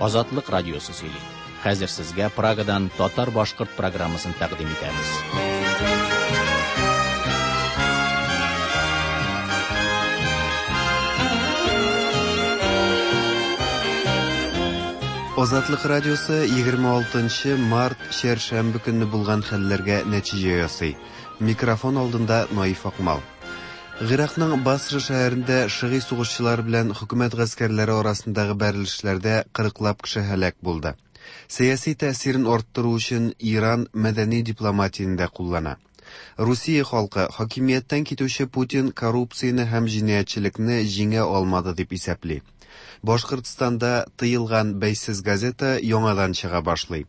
Азатлык радиосы сөйли. Хәзер сезгә Прагадан татар-башкорт программасын тәкъдим итәбез. Азатлык радиосы 26 март чәршәмбе көнне булган хәлләргә нәтиҗә ясый. Микрофон алдында Наиф Акмал. Гыйракның Басра шәһәрендә шыгый сугышчылар белән хөкүмәт гаскәрләре арасындагы бәрелешләрдә кырыклап кеше һәлак булды. Сәяси тәэсирен арттыру өчен Иран мәдәни дипломатияне дә куллана. Русия халкы хакимияттән китүче Путин коррупцияне һәм җинаятьчелекне җиңә алмады дип исәпли. Башкортстанда тыелган бәйсез газета яңадан чыга башлый.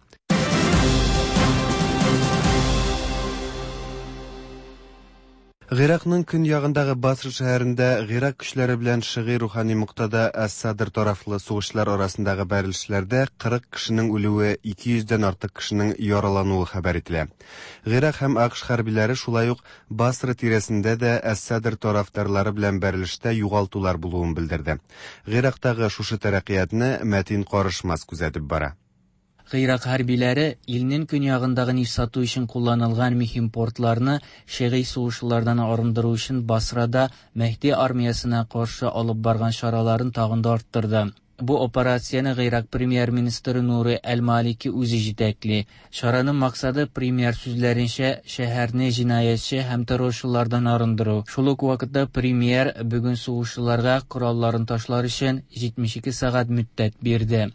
Гыйракның көньягындагы Басра шәһәрендә Гыйрак көчләре белән шыгый рухани Муктада әс-Садр тарафлы сугышчылар арасындагы бәрелешләрдә 40 кешенең үлүе, 200 дән артык кешенең яралануы хәбәр ителә. Гыйрак һәм АКШ хәрбиләре шулай ук Басра тирәсендә дә әс-Садр тарафдарлары белән бәрелештә югалтулар булуын белдерде. Гыйрактагы шушы тәрәккыятны Мәтин Карышмас күзәтеп бара. Гыйрак хәрбиләре илнең көньягындагы нефть сату өчен кулланылган мөһим портларны шигый сугышчылардан арындыру өчен Басрада Мәһди армиясенә каршы алып барган чараларын тагын да арттырды. Бу операцияне Гыйрак премьер-министры Нури Әл-Малики үзе җитәкли. Чараның максаты, премьер сүзләренчә, шәһәрне җинаятьче һәм террорчылардан арындыру. Шул ук вакытта премьер бүген сугышчыларга коралларын ташлар өчен 72 сәгать мөддәт бирде.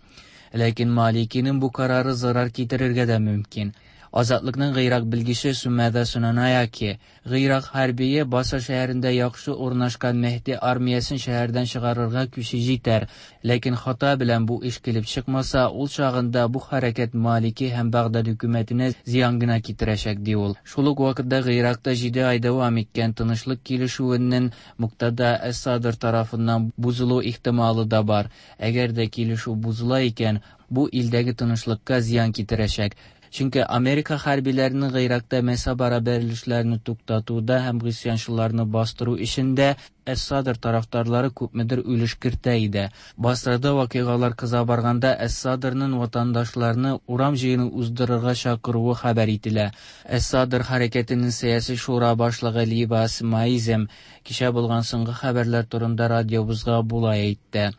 Ләкин Маликиның бу карары зарар китерергә дә мөмкин. Азатлыкның Гыйрак белгече Сумәдә Сунанаяки, Гыйрак хәрбие Басра шәһәрендә яхшы урнашкан Мәһди армиясен шәһәрдән чыгарырга көче җитәр. Ләкин хата белән бу эш килеп чыкмаса, ул чагында бу хәрәкәт Малики һәм Багдад хөкүмәтенә зыян гына китерәчәк, ди ул. Шул ук вакытта Гыйракта 7 ай дәвам иткән тынычлык килешүенең Муктада әс-Садр тарафыннан бузылу ихтималы да бар. Әгәр дә килешү бузыла икән, бу илдәге тынычлыкка зыян китерәчәк. Чөнки Америка хәрбиләренең Гыйракта мәзһәбара бәрелешләрне туктатуда һәм гыйсьянчыларны бастыру эшендә әс-Садр тарафдарлары күпмедер өлеш кертә иде. Басрада вакыйгалар кыза барганда әс-Садрның ватандашларны урам җыены уздырырга чакыруы хәбәр ителә. Әс-Садр хәрәкәтенең сәяси шура башлыгы Либас Маизем кичә булган соңгы хәбәрләр турында радиобызга болай әйтте.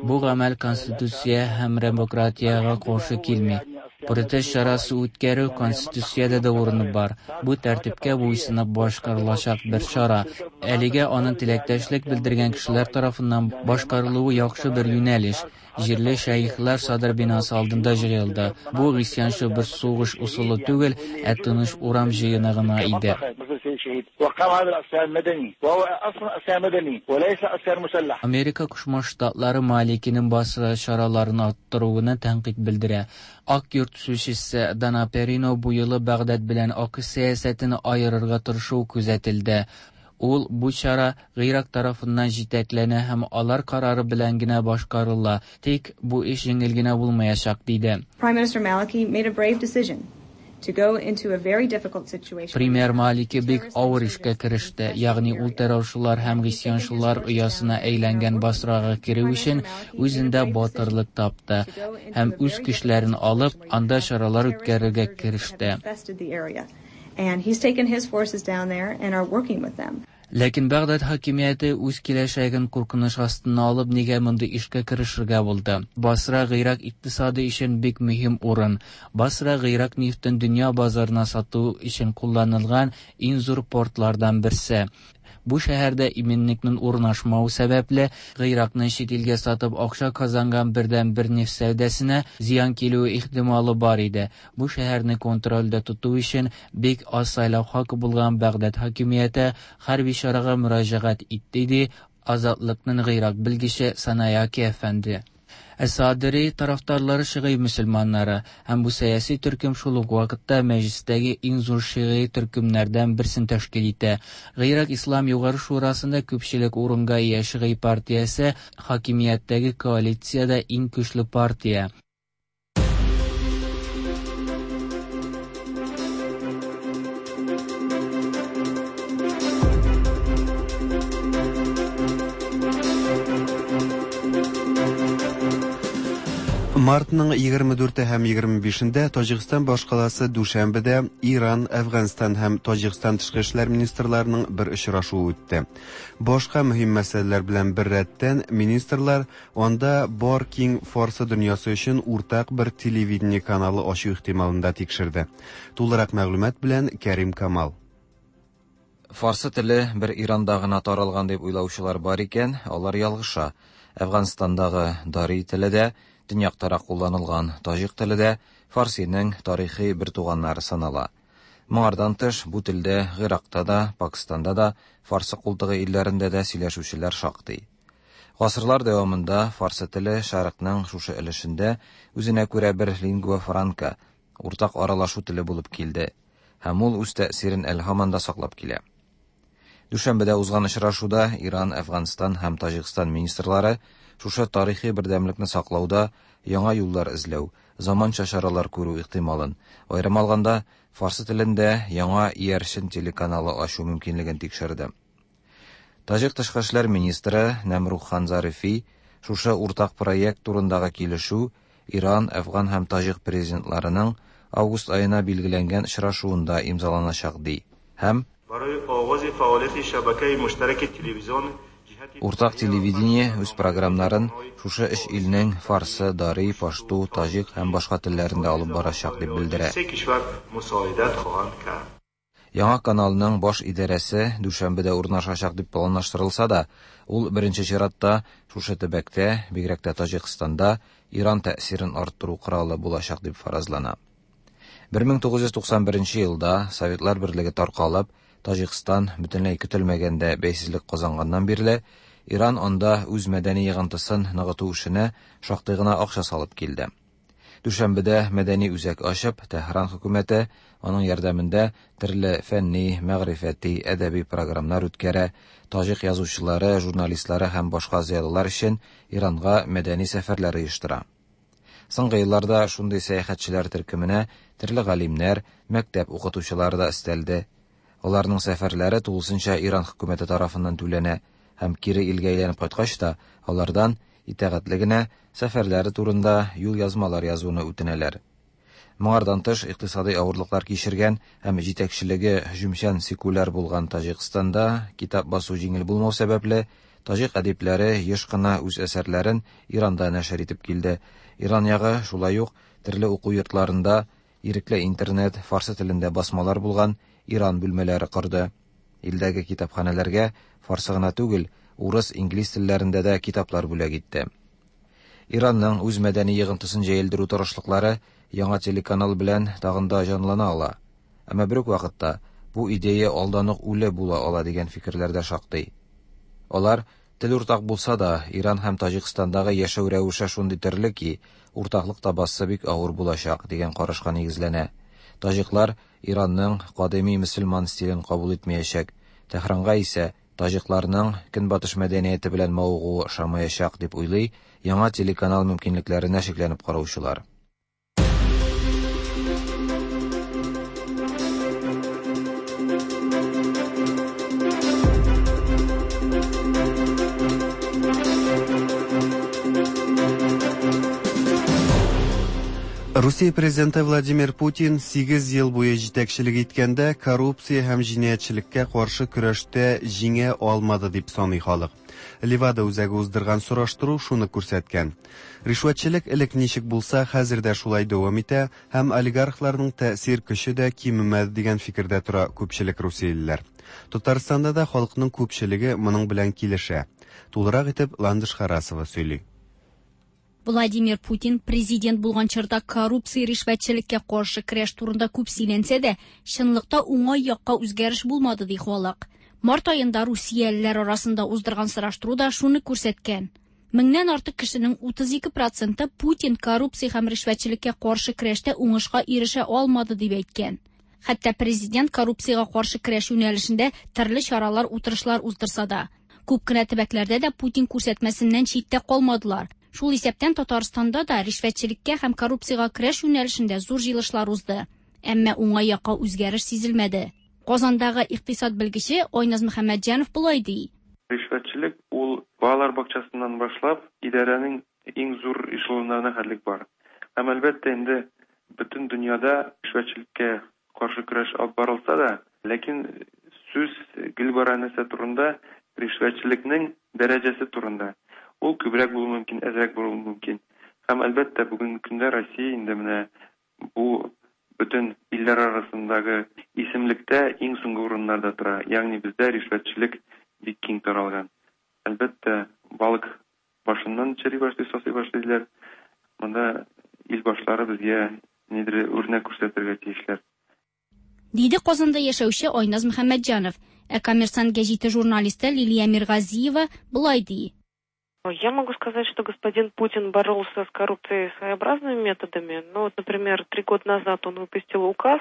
Бу гамәл конституция һәм демократиягә каршы килми. Протест чарасы үткәрү конституциядә дә урыны бар. Бу тәртипкә буйсынып башкарылачак бер чара. Әлегә аның теләктәшлек белдергән кешеләр тарафыннан башкарылуы яхшы бер юнәлеш. Җирле шәехләр Садр бинасы алдында җыелды. Бу гыйсьянчы бер сугыш ысулы түгел, ә тыныч урам җыены гына иде. Америка Кушма Штатлары Маликиның Басра чараларын арттыруына тәнкыйть белдерә. Ак йорт сүзчесе Дана Перино бу юлы Багдад белән АКШ сәясәтен аерырга тырышу күзәтелде. Ул бу чара Гыйрак тарафыннан җитәкләнә һәм алар карары белән генә башкарыла. Тик бу эш җиңел генә булмаячак, диде. Prime Minister Maliki made a brave decision to go into a very difficult situation. Премьер Малики бик авыр эшкә кереште, ягъни ул террорчылар һәм гыйсьянчылар оясына әйләнгән Басрага керү өчен үзендә батырлык тапты һәм үз көчләрен алып, анда чаралар үткәрергә кереште. And he's taken his forces down there and are working with them. Ләкин Багдад хакимияте үз киләчәген куркыныч астына алып, нигә мондый эшкә керешергә булды? Басра Гыйрак икътисады өчен бик мөһим урын. Басра Гыйрак нефтен дөнья базарына сату өчен кулланылган иң зур портлардан берсе. Бу шәһәрдә иминлекнең урнашмавы сәбәпле, Гыйракны чит илгә сатып акча казанган бердән-бер нефть сәүдәсенә зыян килүе ихтималы бар иде. Бу шәһәрне контрольдә тоту өчен бик аз сайлау хакы булган Багдад хакимияте хәрби чарага мөрәҗәгать итте, ди Азатлыкның Гыйрак белгече Санаяки әфәнде. Әс-Садри тарафдарлары шигый мөселманнары һәм бу сәяси төркем шул ук вакытта мәҗлестәге иң зур шигый төркемнәрдән берсен тәшкил итә. Гыйрак Ислам Югары Шурасында күпчелек урынга ия шигый партиясе хакимияттәге коалициядә иң көчле партия. Мартның 24 һәм 25-ндә Таҗикстан башкаласы Дүшәнбедә Иран, Әфганстан һәм Таҗикстан тышкы эшләр министрларының бер очрашуы үтте. Башка мөһим мәсьәләләр белән беррәттән министрлар анда бар киң фарсы дөньясы өчен уртак бер телевидение каналы ачу ихтималын да тикшерде. Тулырак мәгълүмат белән Кәрим Камал. Фарсы теле бер Иранда гына таралган дип уйлаучылар бар икән, алар ялгыша. Әфганстандагы дари теле дә, төньяктарак кулланылган таҗик теле дә фарсиның тарихи бертуганнары санала. Моңардан тыш, бу телдә Гыйракта да, Пакистанда да, Фарсы култыгы илләрендә дә сөйләшүчеләр шактый. Гасырлар дәвамында фарсы теле Шәрыкның шушы өлешендә үзенә күрә бер лингва франка, уртак аралашу теле булып килде һәм ул үз тәэсирен әле һаман да саклап килә. Дүшәнбедә узган очрашуда Иран, Әфганстан һәм Таҗикстан министрлары шушы тарихи бердәмлекне саклауда яңа юллар эзләү, заманча чаралар күрү ихтималын, аерым алганда, фарсы телендә яңа иярчен телеканалы ачу мөмкинлеген тикшерде. Таҗик тышкы эшләр министры Нәмрух-хан Зарифи шушы уртак проект турындагы килешү Иран, Әфган һәм таҗик президентларының август аена билгеләнгән очрашуында имзаланачак ди һәм Уртак телевидение үз програмнарын шушы өч илнең фарсы, дари, пашту, таҗик һәм башка телләрендә алып барачак дип белдерә. Яңа каналның баш идарәсе Дүшәнбедә урнашачак дип планлаштырылса да, ул беренче чиратта шушы төбәктә, бигрәк тә Таҗикстанда, Иран тәэсирен арттыру коралы булачак дип фаразлана. 1991 елда Советлар Берлеге таркалып, Таҗикстан бөтенләй көтелмәгәндә бәйсезлек казанганнан бирле, Иран анда үз мәдәни йогынтысын ныгыту эшенә шактый гына акча салып килде. Дүшәнбедә мәдәни үзәк ачып, Тәһран хөкүмәте аның ярдәмендә төрле фәнни, мәгърифәти, әдәби програмнар үткәрә, таҗик язучылары, журналистлары һәм башка зыялылар өчен Иранга мәдәни сәфәрләр оештыра. Соңгы елларда шундый сәяхәтчеләр төркеменә төрле галимнәр, мәктәп укытучылары да өстәлде. Аларның сәфәрләре тулысынча Иран хөкүмәте тарафыннан түләнә һәм кире илгә әйләнеп кайткач та алардан итагатьле генә сәфәрләре турында юлъязмалар язуны үтенәләр. Моңардан тыш, икътисадый авырлыклар кичергән һәм җитәкчелеге һөҗүмчән секуляр булган Таҗикстанда китап басу җиңел булмау сәбәпле, таҗик әдипләре еш кына үз әсәрләрен Иранда нәшер итеп килде. Иран ягы шулай ук төрле уку йортларында ирекле интернет, фарсы телендә басмалар булган Иран бүлмәләре корды. Илдәге китапханәләргә фарсы гына түгел, урыс, инглиз телләрендә дә китаплар бүләк итте. Иранның үз мәдәни йогынтысын җәелдерү тырышлыклары яңа телеканал белән тагын да җанлана ала. Әмма бер үк вакытта бу идея алдан ук үле була ала дигән фикерләр дә шактый. Алар тел уртак булса да, Иран һәм Таҗикстандагы яшәү рәвеше шундый төрле ки, уртаклык табасы бик авыр булачак дигән карашка нигезләнә. Таҗиклар Иранның кадими мөселман стилен кабул итмәячәк, Тәһранга исә таҗикларның көнбатыш мәдәнияте белән мавыгуы ошамаячак дип уйлый яңа телеканал мөмкинлекләренә шикләнеп караучылар. Русия президенты Владимир Путин 8 ел буе җитәкчелек иткәндә коррупция һәм җинаятьчелеккә каршы көрәштә җиңә алмады дип саный халык. Левада үзәге уздырган сораштыру шуны күрсәткән. Ришвәтчелек элек ничек булса, хәзер дә шулай дәвам итә һәм олигархларның тәэсир көче дә кимемәде дигән фикердә тора күпчелек русиялеләр. Татарстанда да халыкның күпчелеге моның белән килешә. Тулырак итеп Ландыш Харасова сөйли. Владимир Путин президент булган чорда коррупция ришвәтчелеккә каршы көрәш турында күп сөйләнсә дә, чынлыкта уңай якка үзгәреш булмады ди халык. Март аенда русиялеләр арасында уздырган сораштыру да шуны күрсәткән. Меңнән артык кешенең 32% Путин коррупция һәм ришвәтчелеккә каршы көрәштә уңышка ирешә алмады дип әйткән. Хәтта президент коррупциягә каршы көрәш юнәлешендә төрле чаралар, утырышлар уздырса да, күп кенә төбәкләрдә дә Путин күрсәтмәсеннән читтә калмадылар. Шул исәптән Татарстанда да ришвәтчелеккә һәм коррупциягә көрәш юнәлешендә зур җыелышлар узды. Әмма уңай якка үзгәреш сизелмәде. Казандагы икътисад белгече Айназ Мөхәммәтҗанов болай ди. Ришвәтчелек ул балалар бакчасыннан башлап идарәнең иң зур эшелоннарына хәтлек бар. Һәм әлбәттә инде бөтен дөньяда ришвәтчелеккә каршы көрәш алып барылса да, ләкин сүз гел бара нәрсә турында, ришвәтчелекнең дәрәҗәсе турында. Ул күбрәк булуы мөмкин, әзрәк булуы мөмкин. Һәм әлбәттә бүгенге көндә Россия инде менә бу бөтен илләр арасындагы исемлектә иң соңгы урыннарда тора. Ягъни бездә ришвәтчелек бик киң таралган. Әлбәттә, балык башыннан чери башлый, сасый башлый диләр. Монда ил башлары безгә нидер үрнәк күрсәтергә тиешләр. Диде Казанда яшәүче Айназ Мөхәммәтҗанов. Ә Коммерсант гәҗите журналисты Лилия Миргазиева болай ди. Я могу сказать, что господин Путин боролся с коррупцией своеобразными методами. Ну, вот, например, три года назад он выпустил указ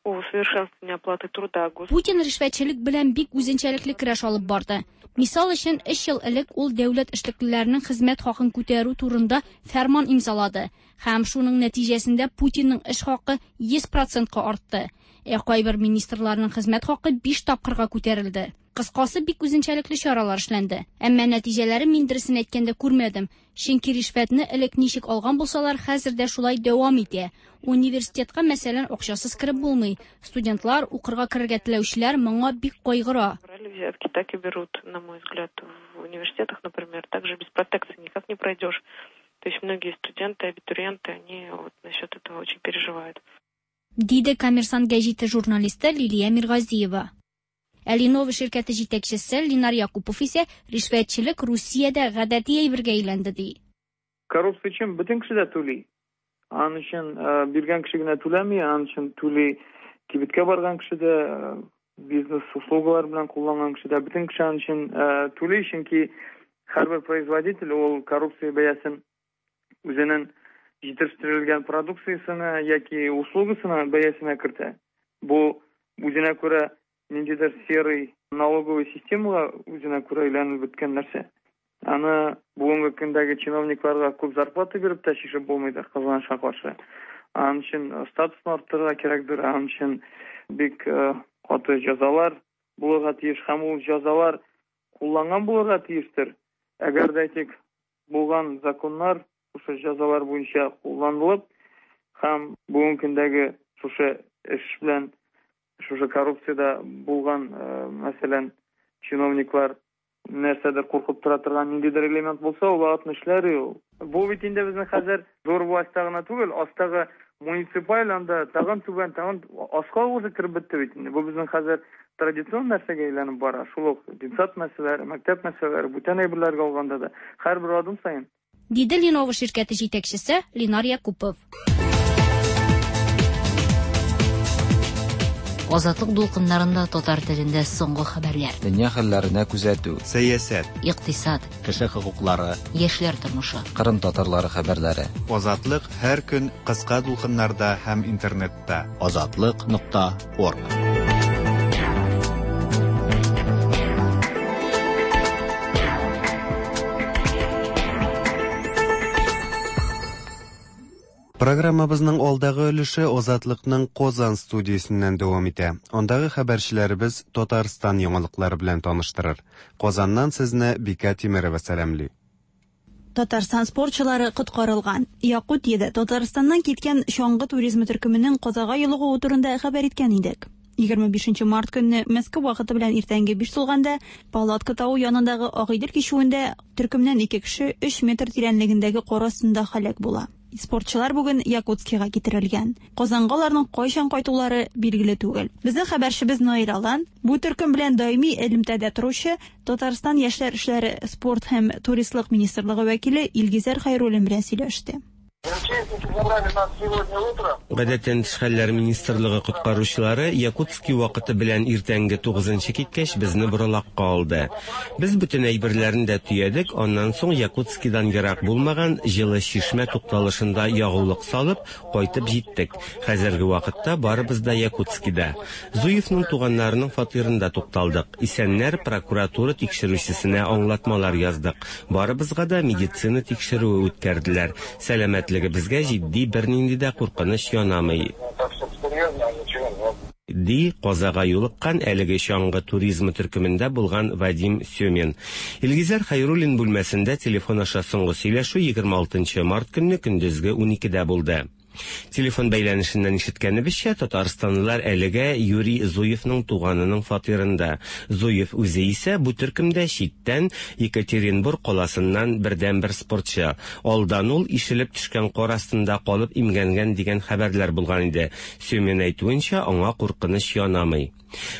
о усовершенствовании оплаты труда. Путин ришвәтчелек белән бик үзенчәлекле көрәш алып барды. Мисал өчен, өч ел элек ул дәүләт эшлеклеләренең хезмәт хакын күтәрү турында фәрман имзалады. Һәм шуның нәтиҗәсендә Путинның эш хакы 100 процентка артты. Ә кайбер министрларның хезмәт хакы 5 тапкырга күтәрелде. Кыскасы, бик үзенчәлекле чаралар эшләнде. Әмма нәтиҗәләрен мин дөресен әйткәндә күрмәдем. Чөнки ришвәтне элек ничек алган булсалар, хәзер дә шулай дәвам итә. Университетка, мәсәлән, акчасыз кереп булмый. Студентлар, укырга керергә теләүчеләр моңа бик кайгыра. Брали взятки, так и берут, на мой взгляд, в университетах, например, также без протекции никак не пройдешь. То есть многие студенты, абитуриенты, они вот насчет этого очень переживают. Диде Коммерсант гәҗите журналисты Лилия Миргазиева. Ә Леново ширкәте җитәкчесе Линар Якупов исә ришвәтчелек Русиядә гадәти әйбергә әйләнде ди. Коррупция өчен бөтен кеше дә түли. Аның өчен биргән кеше генә түләми, аның өчен түли кибеткә барган кеше дә, бизнес услугалар белән кулланган кеше дә, бөтен кеше аның өчен түли, чөнки һәрбер производитель ул коррупция бәясен үзенең җитештерелгән продукциясенә яки услугасына бәясенә кертә. Бу үзенә күрә ниндидер серый налоговый системага үзенә күрә әйләнеп беткән нәрсә. Аны бүгенге көндәге чиновникларга күп зарплата биреп тә чишеп булмыйдыр, кызганычка каршы. Аның өчен статусны арттырырга кирәкдер, аның өчен бик каты җәзалар булырга тиеш һәм ул җәзалар кулланган булырга тиештер. Әгәр дә әйтик, булган законнар шушы җәзалар буенча кулланылып һәм бүгенге көндәге шушы эш белән шушы коррупциядә булган, мәсәлән, чиновниклар нәрсәдер куркып тора торган ниндидер элемент булса, ул вакытны эшләр ул. Бу бит инде безнең хәзер зур властьта гына түгел, астагы муниципаль анда тагын түбән, тагын аска үзе кереп бетте бит инде. Бу безнең хәзер традицион нәрсәгә әйләнеп бара. Шул ук детсад мәсьәләләре, мәктәп мәсьәләләре, бүтән әйберләргә алганда да һәрбер адым саен. Диде Леново ширкәте җитәкчесе Линар Якупов. Азатлык дулкыннарында татар телендә соңгы хәбәрләр. Дөнья хәлләренә күзәтү. Сәясәт. Икътисад. Кеше хокуклары. Яшьләр тормышы. Кырым татарлары хәбәрләре. Азатлык һәр көн кыска дулкыннарда һәм интернетта. Азатлык нокта орг. Программабызның алдагы өлеше Азатлыкның Казан студиясеннән дәвам итә. Андагы хәбәрчеләребез Татарстан яңалыклары белән таныштырыр. Казаннан сезне Бикә Тимерова сәламли. Татарстан спортчылары коткарылган. Якутиядә Татарстаннан киткән чаңгы туризмы төркеменең казага юлыгуы турында хәбәр иткән идек. 25 март көнне Мәскәү вакыты белән иртәнге 5 тулганда Палатка тавы янындагы Агыйдел кичүендә төркемнән ике кеше 3 метр тирәнлегендәге кар астында һәлак була. Спортчылар бүген Якутскига китерелгән. Казанга аларның кайчан кайтулары билгеле түгел. Безнең хәбәрчебез Наил Алан бу төркем белән даими элемтәдә торучы Татарстан яшьләр эшләре, спорт һәм туристлык министрлыгы вәкиле Илгизәр Хәйруллин белән сөйләште. Гадәттән тыш хәлләр министрлыгы коткаручылары Якутски вакыты белән иртәнге 9нчы киткәч безне боралакка алды. Без бөтен әйберләрне дә төядек, аннан соң Якутскидан ерак булмаган Җылы Чишмә тукталышында ягулык салып, кайтып җиттек. Хәзерге вакытта барыбыз да Якутскида. Зуевның туганнарының фатирында тукталдык. Исәннәр прокуратура тикшерүчесенә аңлатмалар яздык. Барыбызга да медицина тикшерүе үткәрделәр. Сәламәтлегебезгә җитди бернинди дә куркыныч янамый. ди казага юлыккан әлеге чаңгы туризмы төркемендә булган Вадим Семин. Илгизәр Хәйруллин бүлмәсендә телефон аша соңгы сөйләшү 26 март көнне көндезге 12дә булды. Телефон бәйләнешеннән ишеткәнебезчә, татарстанлылар әлегә Юрий Зуевның туганының фатирында. Зуев үзе исә бу төркемдә читтән Екатеринбург каласыннан бердәнбер спортчы. Алдан ул ишелеп төшкән кар астында калып имгәнгән дигән хәбәрләр булган иде. Семин әйтүенчә, аңа куркыныч янамый.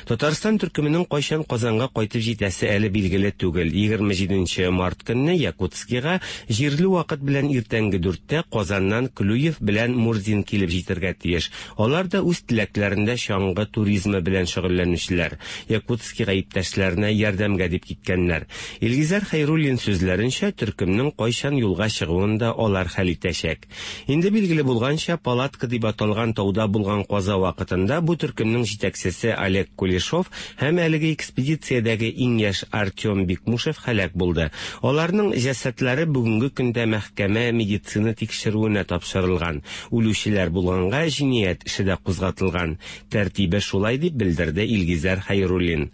Татарстан төркеменең кайчан Казанга кайтып җитәсе әле билгеле түгел. 27 март көнне Якутскига җирле вакыт белән иртәнге 4тә Казаннан Клюев белән Мурзин килеп җитәргә тиеш. Алар да үз теләкләрендә чаңгы туризмы белән шөгыльләнүчеләр. Якутскига иптәшләренә ярдәмгә дип киткәннәр. Илгизәр Хәйруллин сүзләренчә, төркемнең кайчан юлга чыгуын да алар хәл итәчәк. Инде билгеле булганча, Палатка дип аталган тауда булган каза вакытында бу төркемнең җитәкчесе Олег Кулешов һәм әлеге экспедициядәге иң яшь Артем Бикмушев һәлак булды. Аларның җәсәдләре бүгенге көндә мәхкәмә медицина тикшерүенә тапшырылган. Үлүчеләр булганга җинаять эше дә кузгатылган. Тәртибе шулай дип белдерде Илгизәр Хәйруллин.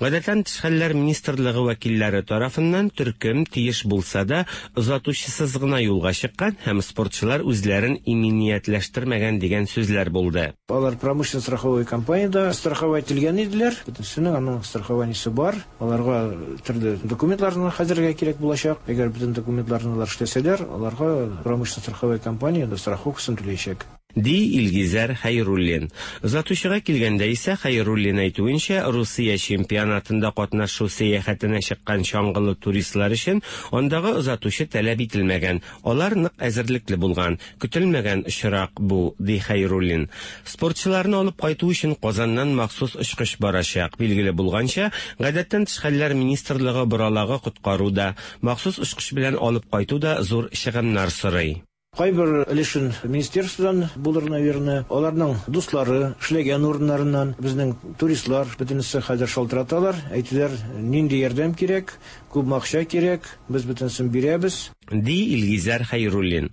Гадәттән тыш хәлләр министрлыгы вәкилләре тарафыннан төркем тиеш булса да озатучысыз гына юлга чыккан һәм спортчылар үзләрен иминиятләштермәгән дигән сүзләр булды. Алар промышленно страховой компаниядә страховать ителгән иделәр. Бөтенесенең аның страхованиесе бар. Аларга төрле документларны хәзергә кирәк булачак. Әгәр бөтен документларны алар эшләсәләр, аларга промышленно страховой компания страховкасын түләячәк. Ди Илгизәр Хәйруллин. Озатучыга килгәндә исә Хәйруллин әйтүенчә, Русия чемпионатында катнашу сәяхәтенә чыккан чаңгылы туристлар өчен андагы озатучы таләп ителмәгән. Алар нык әзерлекле булган. Көтелмәгән очрак бу, ди Хәйруллин. Спортчыларны алып кайту өчен Казаннан махсус очкыч барачак. Билгеле булганча, гадәттән тыш хәлләр министрлыгы боралагы коткару да, махсус очкыч белән алып кайту да зур чыгымнар сорый. Кайбер өлешен министерстводан булыр, наверное. Аларның дуслары, эшләгән урыннарыннан безнең туристлар бөтенесе хәзер шалтыраталар, әйтәләр, нинди ярдәм кирәк, күпме акча кирәк, без бөтенесен бирәбез. Ди Илгизәр Хәйруллин.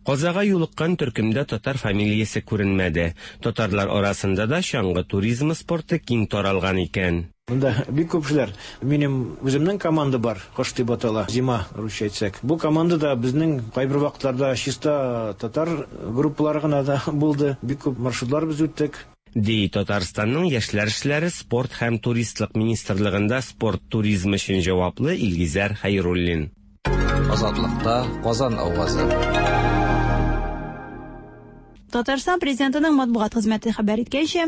Казага юлыккан төркемдә татар фамилиясе күренмәде. Татарлар арасында да чаңгы туризмы спорты киң таралган икән. Монда бик күп кешеләр. Минем үземнең команда бар, Кош дип атала, Зима русча әйтсәк. Бу командада безнең кайбер вакытларда чиста татар группалары гына да булды. Бик күп маршрутлар без үттек. Ди Татарстанның яшьләр эшләре, спорт һәм туристлык министрлыгында спорт туризмы өчен җаваплы Илгизәр Хәйруллин. Азатлыкта Казан авазы. Татарстан президентының матбугат хезмәте хәбәр иткәнчә,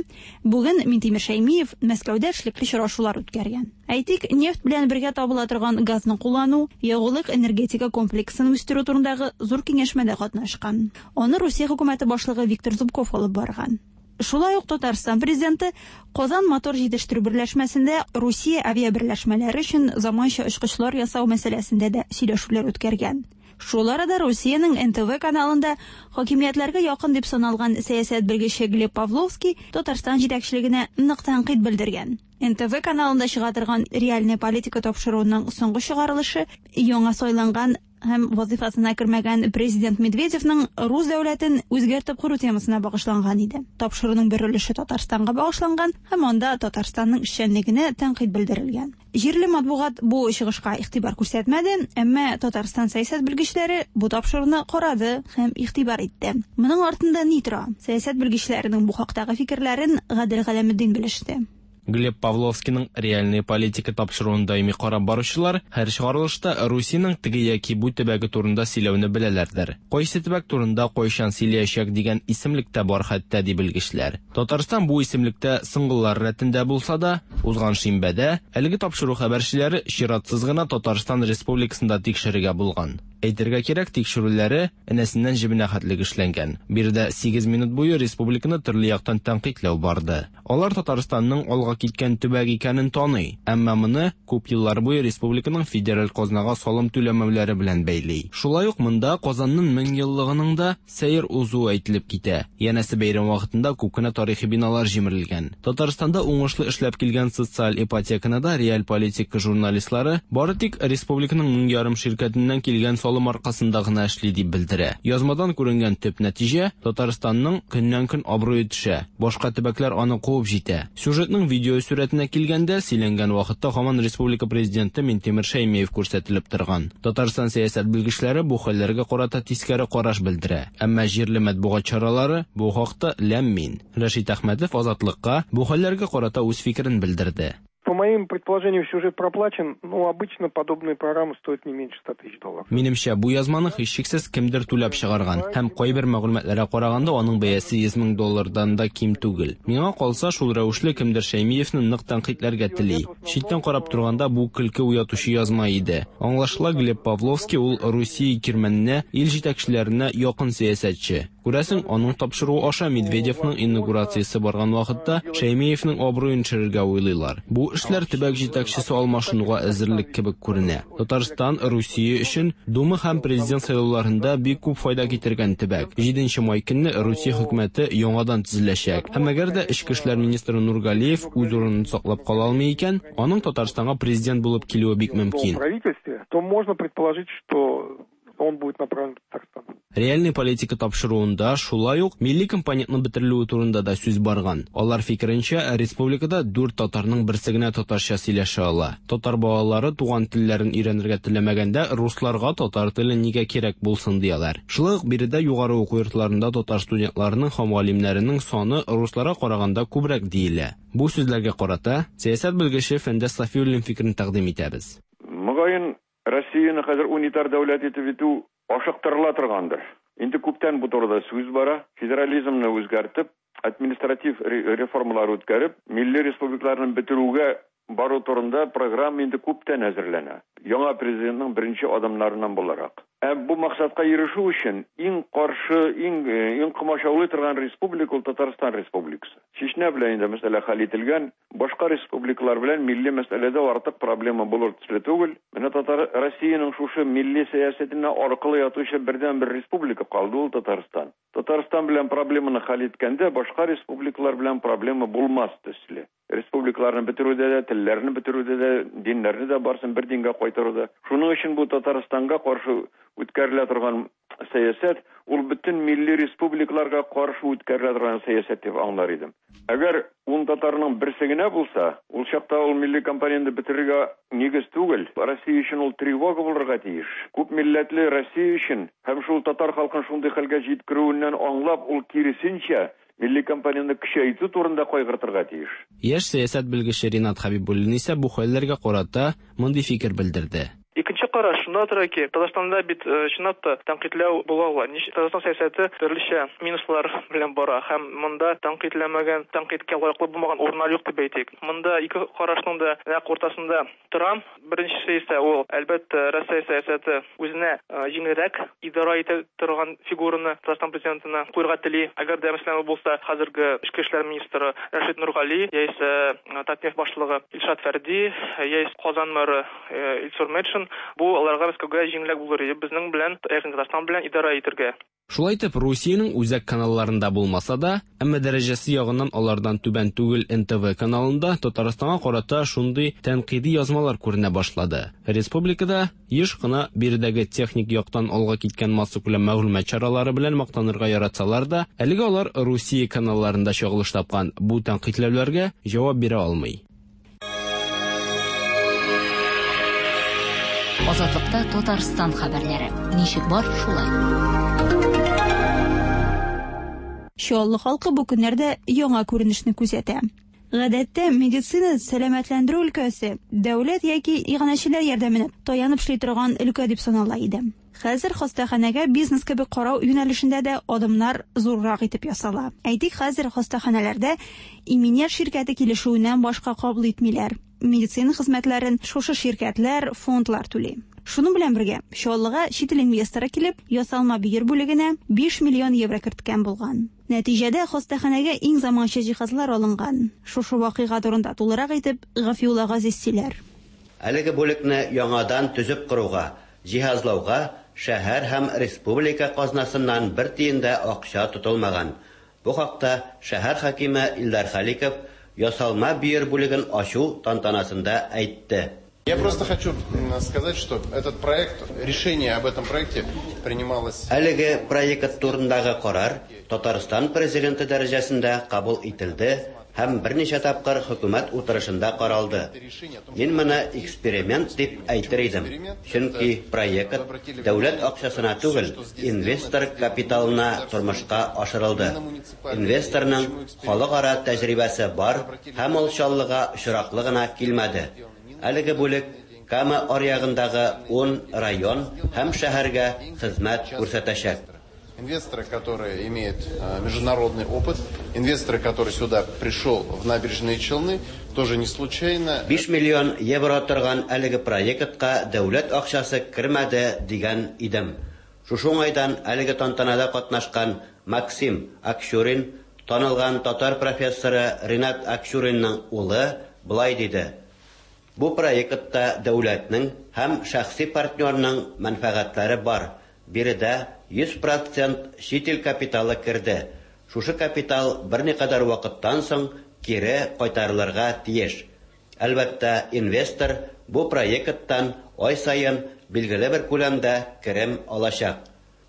бүген Минтимер Шәймиев Мәскәүдә эшлекле очрашулар үткәргән. Әйтик, нефть белән бергә табыла торган газны куллану, ягулык-энергетика комплексын үстерү турындагы зур киңәшмәдә катнашкан. Аны Русия хөкүмәте башлыгы Виктор Зубков алып барган. Шулай ук Татарстан президенты Казан мотор җитештерү берләшмәсендә Русия авиаберләшмәләре өчен заманча очкычлар ясау мәсьәләсендә дә сөйләшүләр үткәргән. Шул арада Русиянең НТВ каналында хакимиятләргә якын дип саналган сәясәт белгече Глеб Павловский Татарстан җитәкчелегенә нык тәнкыйть белдергән. НТВ каналында чыга торган Реальная политика тапшыруының соңгы чыгарылышы яңа сайланган һәм вазифасына кермәгән президент Медведевның рус дәүләтен үзгәртеп кору темасына багышланган иде. Тапшыруның бер өлеше Татарстанга багышланган һәм анда Татарстанның эшчәнлегенә тәнкыйть белдерелгән. Җирле матбугат бу чыгышка игътибар күрсәтмәде, әмма Татарстан сәясәт белгечләре бу тапшыруны карады һәм игътибар итте. Моның артында ни тора? Сәясәт белгечләренең бу хактагы фикерләрен Гадел Галәметдин белеште. Глеб Павловскийның «Реальная политика» тапшыруын даими карап баручылар һәр чыгарылышта Русиянең теге яки бу төбәге турында сөйләүне беләләрдер. Кайсы төбәк турында кайчан сөйләячәк дигән исемлек тә бар хәтта, ди белгечләр. Татарстан бу исемлектә соңгылар рәтендә булса да, узган шимбәдә әлеге тапшыру хәбәрчеләре чиратсыз гына Татарстан Республикасында тикшерергә булган. Әйтергә кирәк, тикшерүләре энәсеннән җебенә хәтлек эшләнгән. Биредә 8 минут буе республиканы төрле яктан тәнкыйтьләү барды. Алар Татарстанның алга киткән төбәк икәнен таный, әмма моны күп еллар буе республиканың федераль казнага салым түләмәүләре белән бәйли. Шулай ук монда Казанның 1000 еллыгының да сәер узуы әйтелеп китә. Янәсе бәйрәм вакытында күп кенә тарихи биналар җимерелгән. Татарстанда уңышлы эшләп килгән социаль ипотеканы да реаль политика журналистлары бары тик республиканың 1500 ширкәтеннән килгән салым аркасында гына эшли дип белдерә. Язмадан күренгән төп нәтиҗә, Татарстанның көннән-көн абруе төшә, башка төбәкләр аны куып җитә. Сюжетның видео сурәтенә килгәндә, сөйләнгән вакытта һаман республика президенты Минтимер Шәймиев күрсәтелеп торган. Татарстан сәясәт белгечләре бу хәлләргә карата тискәре караш белдерә. Әмма җирле матбугат чаралары бу хакта ләм-мим. Рәшит Әхмәтов Азатлыкка бу хәлләргә карата үз фикерен белдерде. По моим предположениям, сюжет проплачен, но обычно подобные программы стоят не меньше 100 тысяч долларов. Минемчә, бу язманы һичшиксез кемдер түләп чыгарган һәм кайбер мәгълүматларга караганда аның бәясе 100 мең доллардан да ким түгел. Миңа калса, шул рәвешле кемдер Шәймиевне нык тәнкыйтьләргә тели. Читтән карап торганда бу көлке уятучы язма иде. Аңлашыла, Глеб Павловский ул Русия кирмәненә, ил җитәкчеләренә якын сәясәтче. Күрәсең, аның тапшыруы аша Медведевның инаугурациясе барган вакытта Шәймиевнең абруен төшерергә уйлыйлар. Бу эшләр төбәк җитәкчесе алмашынуга әзерлек кебек күренә. Татарстан Русия өчен Дума һәм президент сайлауларында бик күп файда китергән төбәк. 7 май көнне Русия хөкүмәте яңадан төзеләчәк. Һәм әгәр дә эчке эшләр министры Нургалиев үз урынын саклап кала алмый икән, аның Татарстанга президент булып килүе бик мөмкин. То можно предположить, что он будет направлен в Татарстан. Реальный политика тапшыруында шулай ук милли компонентның бетерелүе турында да сүз барган. Алар фикеренчә, республикада дүрт татарның берсе генә татарча сөйләшә ала. Татар балалары туган телләрен өйрәнергә теләмәгәндә, русларга татар теле нигә кирәк булсын дияләр. Шулай ук биредә югары уку йортларында татар студентларының һәм галимнәренең саны русларга караганда күбрәк диелә. Бу сүзләргә карата сәясәт белгече Фәндәс Сафиуллин фикерен тәкъдим итәбез. Мөгаен, Россияне хәзер унитар дәүләт итеп итү ашыктырыла торгандыр. Инде күптән бу турыда сүз бара. Федерализмны үзгәртеп, административ реформалар үткәреп, милли республикаларны бетерүгә бару турында программа инде күптән әзерләнә. Яңа президентның беренче адымнарыннан буларак. Ә бу максатка ирешү өчен иң каршы, иң иң комачаулый торган республика ул Татарстан Республикасы. Чечня белән инде мәсьәлә хәл ителгән, башка республикалар белән милли мәсьәләдә артык проблема булыр төсле түгел. Менә Татар Россиянең шушы милли сәясәтенә аркылы ятучы бердәнбер республика калды ул Татарстан. Татарстан белән проблеманы хәл иткәндә башка республикалар белән проблема булмас төсле. Республикаларны бетерүдә дә, телләрне бетерүдә дә, диннәрне дә барсын бер дингә кайтаруда. Шуның өчен бу Татарстанга каршы үткәрелә торган сәясәт, ул бөтен милли республикаларга каршы үткәрелә торган сәясәт дип аңлар идем. Әгәр ун татарның берсе генә булса, ул чакта ул милли компонентны бетерергә нигез түгел, Россия өчен ул тревога булырга тиеш. Күп милләтле Россия өчен һәм шул татар халкын шундый хәлгә җиткерүеннән аңлап, ул киресенчә милли компонентны көчәйтү турында кайгыртырга тиеш. Яшь сәясәт белгече Ринат Хәбибуллин исә бу хәлләргә карата мондый фикер белдерде. Икенче караш шунда тора ки, Татарстанда бит чынлап та тәнкыйтьләү була ала. Татарстан сәясәте төрлечә минуслар белән бара һәм монда тәнкыйтьләмәгән, тәнкыйтькә лаеклы булмаган урыннар юк дип әйтик. Монда ике карашның да нәкъ уртасында торам. Беренчесе исә ул, әлбәттә, Россия сәясәте үзенә җиңелрәк идарә итә торган фигураны Татарстан президентына куярга тели. Әгәр дә, мәсәлән, ул булса хәзерге эчке эшләр министры Рәшит Нургали, яисә Татнефть башлыгы Илшат Фәрди, яисә Казан мэры Илсур Метшин, бу аларга Мәскәүгә җиңелрәк булыр иде безнең белән, ягъни Татарстан белән идарә итергә. Шулай итеп, Русиянең үзәк каналларында булмаса да, әмма дәрәҗәсе ягыннан алардан түбән түгел НТВ каналында Татарстанга карата шундый тәнкыйди язмалар күренә башлады. Республикада еш кына биредәге техник яктан алга киткән массакүләм мәгълүмат чаралары белән мактанырга яратсалар да, әлегә алар Русия каналларында чагылыш тапкан бу тәнкыйтьләүләргә җавап бирә алмый. Азатлыкта Татарстан хәбәрләре. Ничек бар, шулай. Чаллы халкы бу көннәрдә яңа күренешне күзәтә. Гадәттә, медицина сәламәтләндерү өлкәсе дәүләт яки иганәчеләр ярдәменә таянып эшли торган өлкә дип санала иде. Хәзер хастаханәгә бизнес кебек карау юнәлешендә дә адымнар зуррак итеп ясала. Әйтик, хәзер хастаханәләрдә иминият ширкәте килешүеннән башка кабул итмиләр. Медицина хезмәтләрен шушы ширкәтләр, фондлар түли. Шуның белән бергә, Чаллыга чит ил инвесторы килеп, ясалма бөер бүлегенә 5 миллион евро керткән булган. Нәтиҗәдә хастаханәгә иң заманча җиһазлар алынган. Шушы вакыйга турында тулырак итеп Гафиулла Газиз сөйләр. Әлеге бүлекне яңадан төзеп коруга, җиһазлауга шәһәр һәм республика казнасыннан бер тиен дә акча тотылмаган. Бу хакта шәһәр хакиме Илдар Халиков ясалма бөер бүлеген ачу тантанасында әйтте. Я просто хочу сказать, что этот проект, решение об этом проекте принималось... Әлеге проект турындагы карар Татарстан Президенты дәрәҗәсендә кабул ителде һәм берничә тапкыр хөкүмәт утырышында каралды. Мин моны эксперимент дип әйтер идем, чөнки проект дәүләт акчасына түгел, инвестор капиталына тормышка ашырылды. Инвесторның халыкара тәҗрибәсе бар һәм ул Чаллыга очраклы гына килмәде. Әлеге бүлек Кама аръягындагы ун район һәм шәһәргә хезмәт күрсәтәчәк. Инвесторы, которые имеют международный опыт, инвесторы, который сюда пришел в Набережные Челны, тоже не случайно. 5 миллион евро торган әлеге проектка дәүләт акчасы кермәде дигән идем. Шушы уңайдан әлеге тантанада катнашкан Максим Акчурин, танылган татар профессоры Ринат Акчуринның улы, болай диде: Бу проектта дәүләтнең һәм шәхси партнерның мәнфәгатьләре бар. Биредә 100 процент чит ил капиталы керде. Шушы капитал берникадәр вакыттан соң кире кайтарылырга тиеш. Әлбәттә, инвестор бу проекттан ай саен билгеле бер күләмдә керем алачак.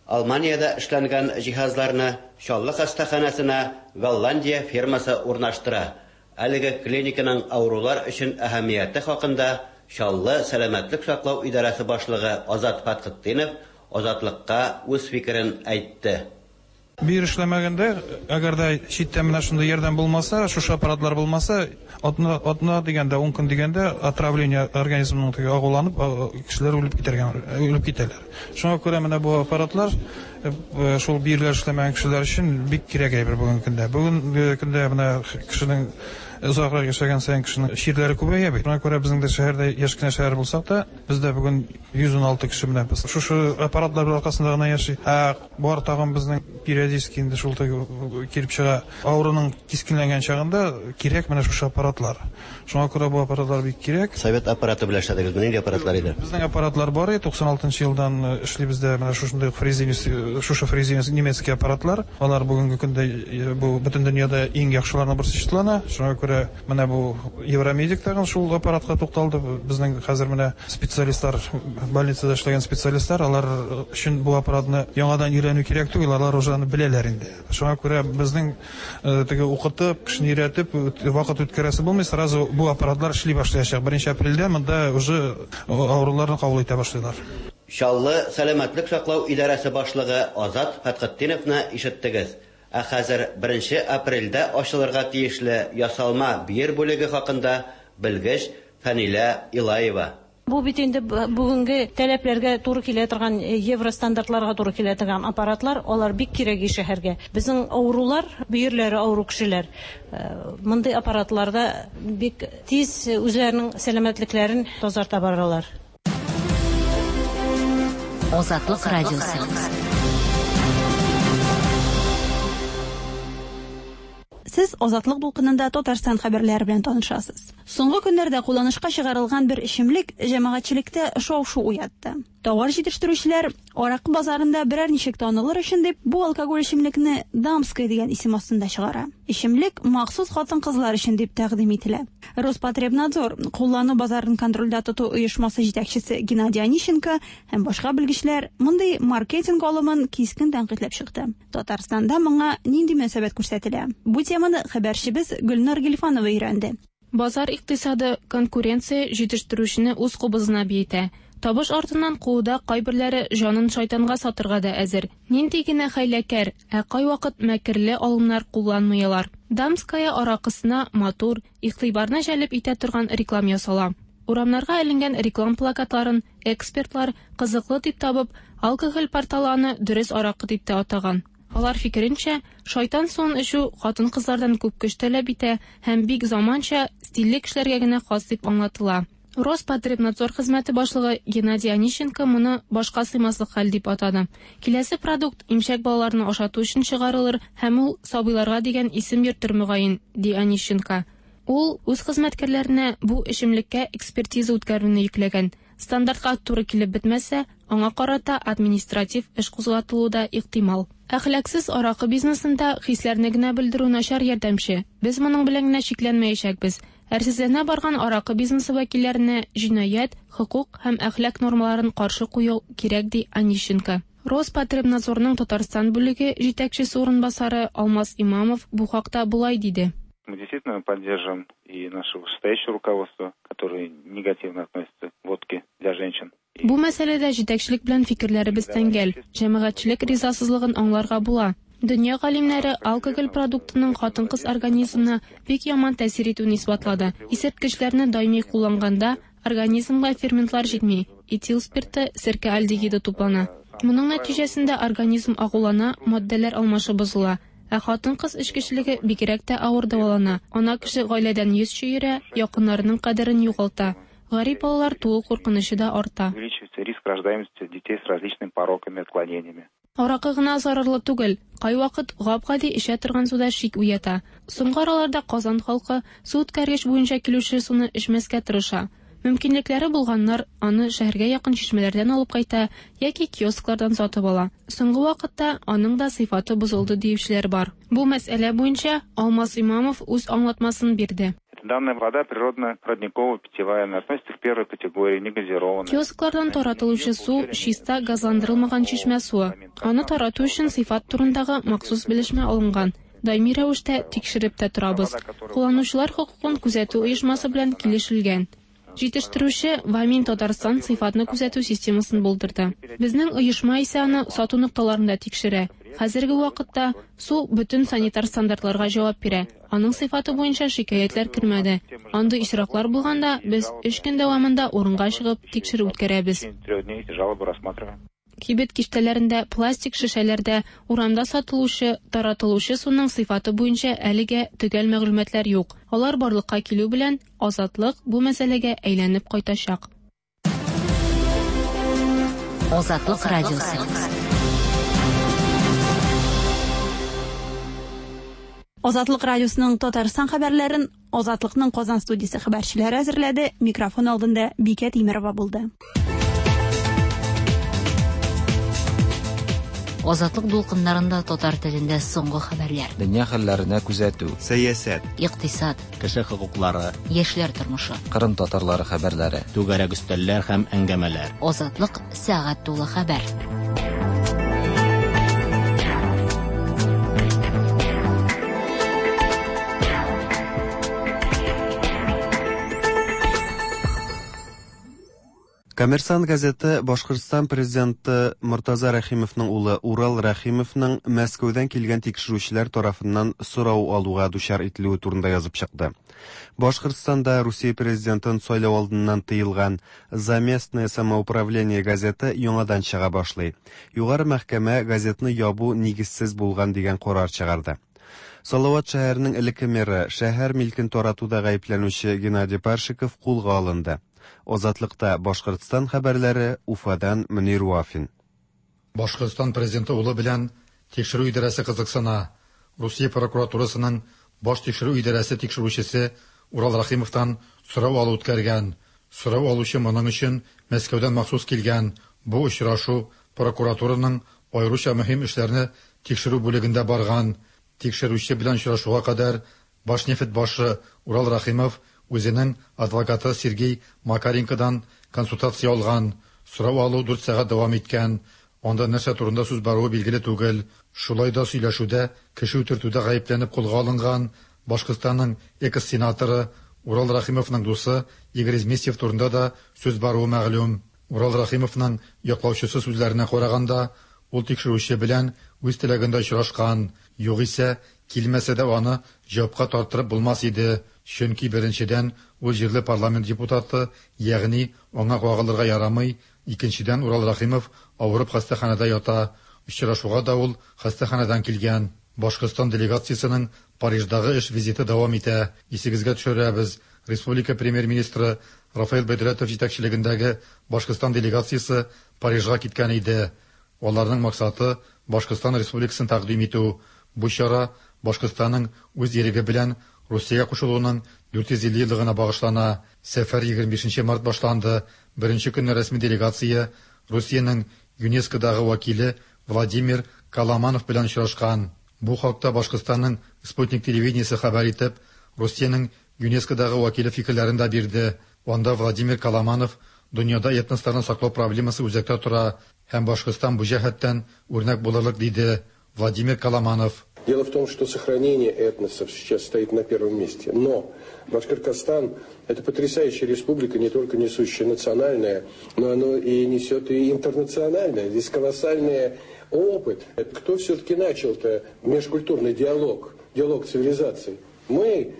Алманиядә эшләнгән җиһазларны Чаллы хастаханәсенә Голландия фирмасы урнаштыра. Әлеге клиниканың авырулар өчен әһәмияте хакында Чаллы сәламәтлек саклау идарәсе башлыгы Азат Фәтхетдинов Азатлыкка үз фикерен әйтте. Бөер эшләмәгәндә, әгәр дә читтән менә шундый ярдәм булмаса, шушы аппаратлар булмаса, атна, атна дигәндә, ун көн дигәндә отравление организмның теге агуланып, кешеләр үлеп китәргә, үлеп китәләр. Шуңа күрә менә бу аппаратлар шул бөерләр эшләмәгән кешеләр өчен бик кирәк әйбер бүгенге көндә. Бүгенге көндә менә кешенең озаграк яшәгән саен кешенең чирләре күбәя бит. Шуңа күрә безнең дә шәһәрдә яшь кенә шәһәр булсак та, бездә бүген 116 кеше менә без шушы аппаратлар аркасында гына яши. Ә бар тагын безнең периодически инде шул килеп чыга. Авыруның кискенләнгән чагында кирәк менә шушы аппаратлар. Шуңа күрә бу аппаратлар бик кирәк. Совет аппараты белән эшләдегезме? Нинди аппаратлар иде? Безнең аппаратлар бар иде, 96 елдан эшлибез дә менә шушындый Фрезениус, шушы Фрезениус немецкий аппаратлар. Алар бүгенге көндә бу бөтен дөньяда иң яхшыларның берсе числана. Шуңа күрә менә бу Евромедик тагын шул аппаратка тукталды. Безнең хәзер менә специалистлар, больницада эшләгән специалистлар, алар өчен бу аппаратны яңадан өйрәнү кирәк түгел, алар уже аны беләләр инде. Шуңа күрә безнең теге укытып, кешене өйрәтеп, вакыт үткәрәсе булмый, сразу бу аппаратлар эшли башлаячак. 1 апрельдә монда уже авыруларны кабул итә башлыйлар. Чаллы сәламәтлек саклау идарәсе башлыгы Азат Фәтхетдиновны ишеттегез. Ә хәзер 1 апрельдә ачылырга тиешле ясалма бөер бүлеге хакында белгеч Фәнилә Илаева. Бу бит инде бүгенге таләпләргә туры килә торган, евро стандартларга туры килә торган аппаратлар, алар бик кирәк шәһәргә. Безнең авырулар, бөерләре авыру кешеләр, мондый аппаратларда бик тиз үзләренең сәламәтлекләрен тазарта баралар. Азатлык радиосы. Сез Азатлык дулкынында Татарстан хәбәрләре белән танышасыз. Соңгы көннәрдә кулланышка чыгарылган бер эчемлек җәмәгатьчелектә шау-шу уятты. Товар җитештерүчеләр аракы базарында берәр ничек танылыр өчен дип бу алкоголь эчемлекне Дамская дигән исем астында чыгара. Эчемлек махсус хатын-кызлар өчен дип тәкъдим ителә. Роспотребнадзор куллану базарын контрольдә тоту оешмасы җитәкчесе Геннадий Онищенко һәм башка белгечләр мондый маркетинг алымын кискен тәнкыйтьләп чыкты. Татарстанда моңа нинди мөнәсәбәт күрсәтелә? Бу теманы хәбәрчебез Гөлнар Гильфанова өйрәнде. Базар икътисады конкуренция җитештерүчене үз кубызына биетә. Табыш артыннан кууда кайберләре җанын шайтанга сатырга да әзер. Нинди генә хәйләкәр, ә кайвакыт мәкерле алымнар кулланмыйлар. Дамская аракысына матур, игътибарны җәлеп итә торган реклам ясала. Урамнарга эленгән реклам плакатларын экспертлар кызыклы дип табып, алкоголь порталы аны дөрес аракы дип тә атаган. Алар фикеренчә, шайтан суын эчү хатын-кызлардан күп көч таләп итә һәм бик заманча, стильле кешеләргә генә хас дип аңлатыла. Роспотребнадзор хезмәте башлыгы Геннадий Онищенко моны башка сыймаслык хәл дип атады. Киләсе продукт имчәк балаларны ашату өчен чыгарылыр һәм ул сабыйларга дигән исем йөртер мөгаен, ди Онищенко. Ул үз хезмәткәрләренә бу эчемлеккә экспертиза үткәрүне йөкләгән. Стандартка туры килеп бетмәсә, аңа карата административ эш кузгатылуы да ихтимал. Әхлаксыз аракы бизнесында хисләрне генә белдерү начар ярдәмче. Без моның белән генә чикләнмәячәкбез. Әрсезләнә барган аракы бизнесы вәкилләренә җинаять, хокук һәм әхлак нормаларын каршы кую кирәк, ди Онищенко. Роспотребнадзорның Татарстан бүлеге җитәкчесе урынбасары Алмаз Имамов бу хакта болай диде. Мы действительно поддерживаем и наше вышестоящее руководство, которое негативно относится к водке для женщин. Бу мәсьәләдә җитәкчелек белән фикерләребез тәңгәл. Җәмәгатьчелек ризасызлыгын аңларга була. Дөнья галимнәре алкоголь продуктының хатын-кыз организмына бик яман тәэсир итүен исбатлады. Исерткечләрне даими кулланганда, организмга ферментлар җитми, этил спирты, серкә альдегиды туплана. Моның нәтиҗәсендә организм агулана, матдәләр алмашы бозыла. Ә хатын-кыз эчкечелеге бигрәк тә авыр дәвалана. Ана кеше гаиләдән йөз чөерә, якыннарының кадерен югалта. Гарип балалар туу куркынычы да арта. Увеличивается риск рождаемости детей с различными пороками, отклонениями. Аракы гына зарарлы түгел, кайвакыт гап-гади эчә торган су да шик уята. Соңгы араларда Казан халкы су үткәргеч буенча килүче суны эчмәскә тырыша. Мөмкинлекләре булганнар аны шәһәргә якын чишмәләрдән алып кайта яки киосклардан сатып ала. Соңгы вакытта аның да сыйфаты бозылды диючеләр бар. Бу мәсьәлә буенча Алмаз Имамов үз аңлатмасын бирде. Данная вода природно-родниково-питьевая, она относится к первой категории, не газированная. Киосклардан таратылучы су чиста газландырылмаган чишмә суы. Аны тарату өчен сыйфат турындагы махсус белешмә алынган. Даими рәвештә тикшереп тә торабыз. Кулланучылар хокукын күзәтү оешмасы белән килешелгән. Җитештерүче Вамин Татарстан сыйфатны күзәтү системасын булдырды. Безнең оешма исә аны сату нокталарында тикшерә. Хәзерге вакытта су бөтен санитар стандартларга җавап бирә. Аның сыйфаты буенча шикаятьләр кермәде. Андый очраклар булганда, без өч көн дәвамында урынга чыгып тикшерү үткәрәбез. Кибет киштәләрендә, пластик шешәләрдә, урамда сатылучы, таратылучы суның сыйфаты буенча әлегә төгәл мәгълүматлар юк. Алар барлыкка килү белән, Азатлык бу мәсьәләгә әйләнеп кайтачак. Азатлык радиосы. Азатлык радиосының Татарстан хәбәрләрен Азатлыкның Казан студиясе хәбәрчеләре әзерләде. Микрофон алдында Бикә Тимерова булды. Азатлык дулкыннарында татар телендә соңгы хәбәрләр. Дөнья хәлләренә күзәтү. Сәясәт. Икътисад. Кеше хокуклары. Яшьләр тормышы. Кырым татарлары хәбәрләре. Түгәрәк өстәлләр һәм әңгәмәләр. Азатлык сәгать тулы хәбәр. Коммерсант газеты Башкортстан президенты Мортаза Рәхимовның улы Урал Рәхимовның Мәскәүдән килгән тикшерүчеләр тарафыннан сорау алуга дучар ителүе турында язып чыкты. Башкортстанда Русия президентын сайлау алдыннан тыелган За местное самоуправление газеты яңадан чыга башлый. Югары мәхкәмә газетны ябу нигезсез булган дигән карар чыгарды. Салават шәһәренең элекке мэры, шәһәр милкен таратуда гаепләнүче Геннадий Паршиков кулга алынды. Азатлыкта Башкортстан хәбәрләре Уфадан Мөнир Вафин. Башкортстан президенты улы белән тикшерү идарәсе кызыксына. Русия прокуратурасының баш тикшерү идарәсе тикшерүчесе Урал Рәхимовтан сорау алу үткәргән. Сорау алучы моның өчен Мәскәүдән махсус килгән. Бу очрашу прокуратураның аеруча мөһим эшләрне тикшерү бүлегендә барган. Тикшерүче белән очрашуга кадәр Башнефть башы Урал Рәхимов үзенең адвокаты Сергей Макаренкодан консультация алган. Сорау алу дүрт сәгать дәвам иткән. Анда нәрсә турында сүз баруы билгеле түгел. Шулай да сөйләшүдә кеше үтертүдә гаепләнеп кулга алынган Башкортстанның экс-сенаторы Урал Рәхимовның дусы Игорь Изместьев турында да сүз баруы мәгълүм. Урал Рәхимовның яклаучысы сүзләренә караганда, ул тикшерүче белән үз теләгендә очрашкан. Югыйсә, килмәсә дә аны җавапка тарттырып булмас иде. Чөнки беренчедән, ул җирле парламент депутаты, ягъни аңа кагылырга ярамый, икенчедән, Урал Рәхимов авырып хастаханәдә ята. Очрашуга да ул хастаханәдән килгән. Башкортстан делегациясенең Париждагы эш визиты дәвам итә. Исегезгә төшерәбез, республика премьер-министры Рафаэль Бәйдәләтов җитәкчелегендәге Башкортстан делегациясе Парижга киткән иде. Аларның максаты Башкортстан Республикасын тәкъдим итү. Бу чара Башкортстанның үз иреге белән Русиягә кушылуының 450 еллыгына багышлана. Сәфәр 25 нче март башланды. Беренче көнне рәсми делегация Русиянең ЮНЕСКОдагы вәкиле Владимир Каламанов белән очрашкан. Бу хакта Башкортстанның Спутник телевидениесе хәбәр итеп, Русиянең ЮНЕСКОдагы вәкиле фикерләрен дә бирде. Анда Владимир Каламанов дөньяда этносларны саклау проблемасы үзәктә тора һәм Башкортстан бу җәһәттән үрнәк булырлык диде. Владимир Каламанов. Дело в том, что сохранение этносов сейчас стоит на первом месте. Но Башкортостан – это потрясающая республика, не только несущая национальное, но оно и несет и интернациональное. Здесь колоссальный опыт. Кто все-таки начал-то межкультурный диалог, диалог цивилизаций? Мы,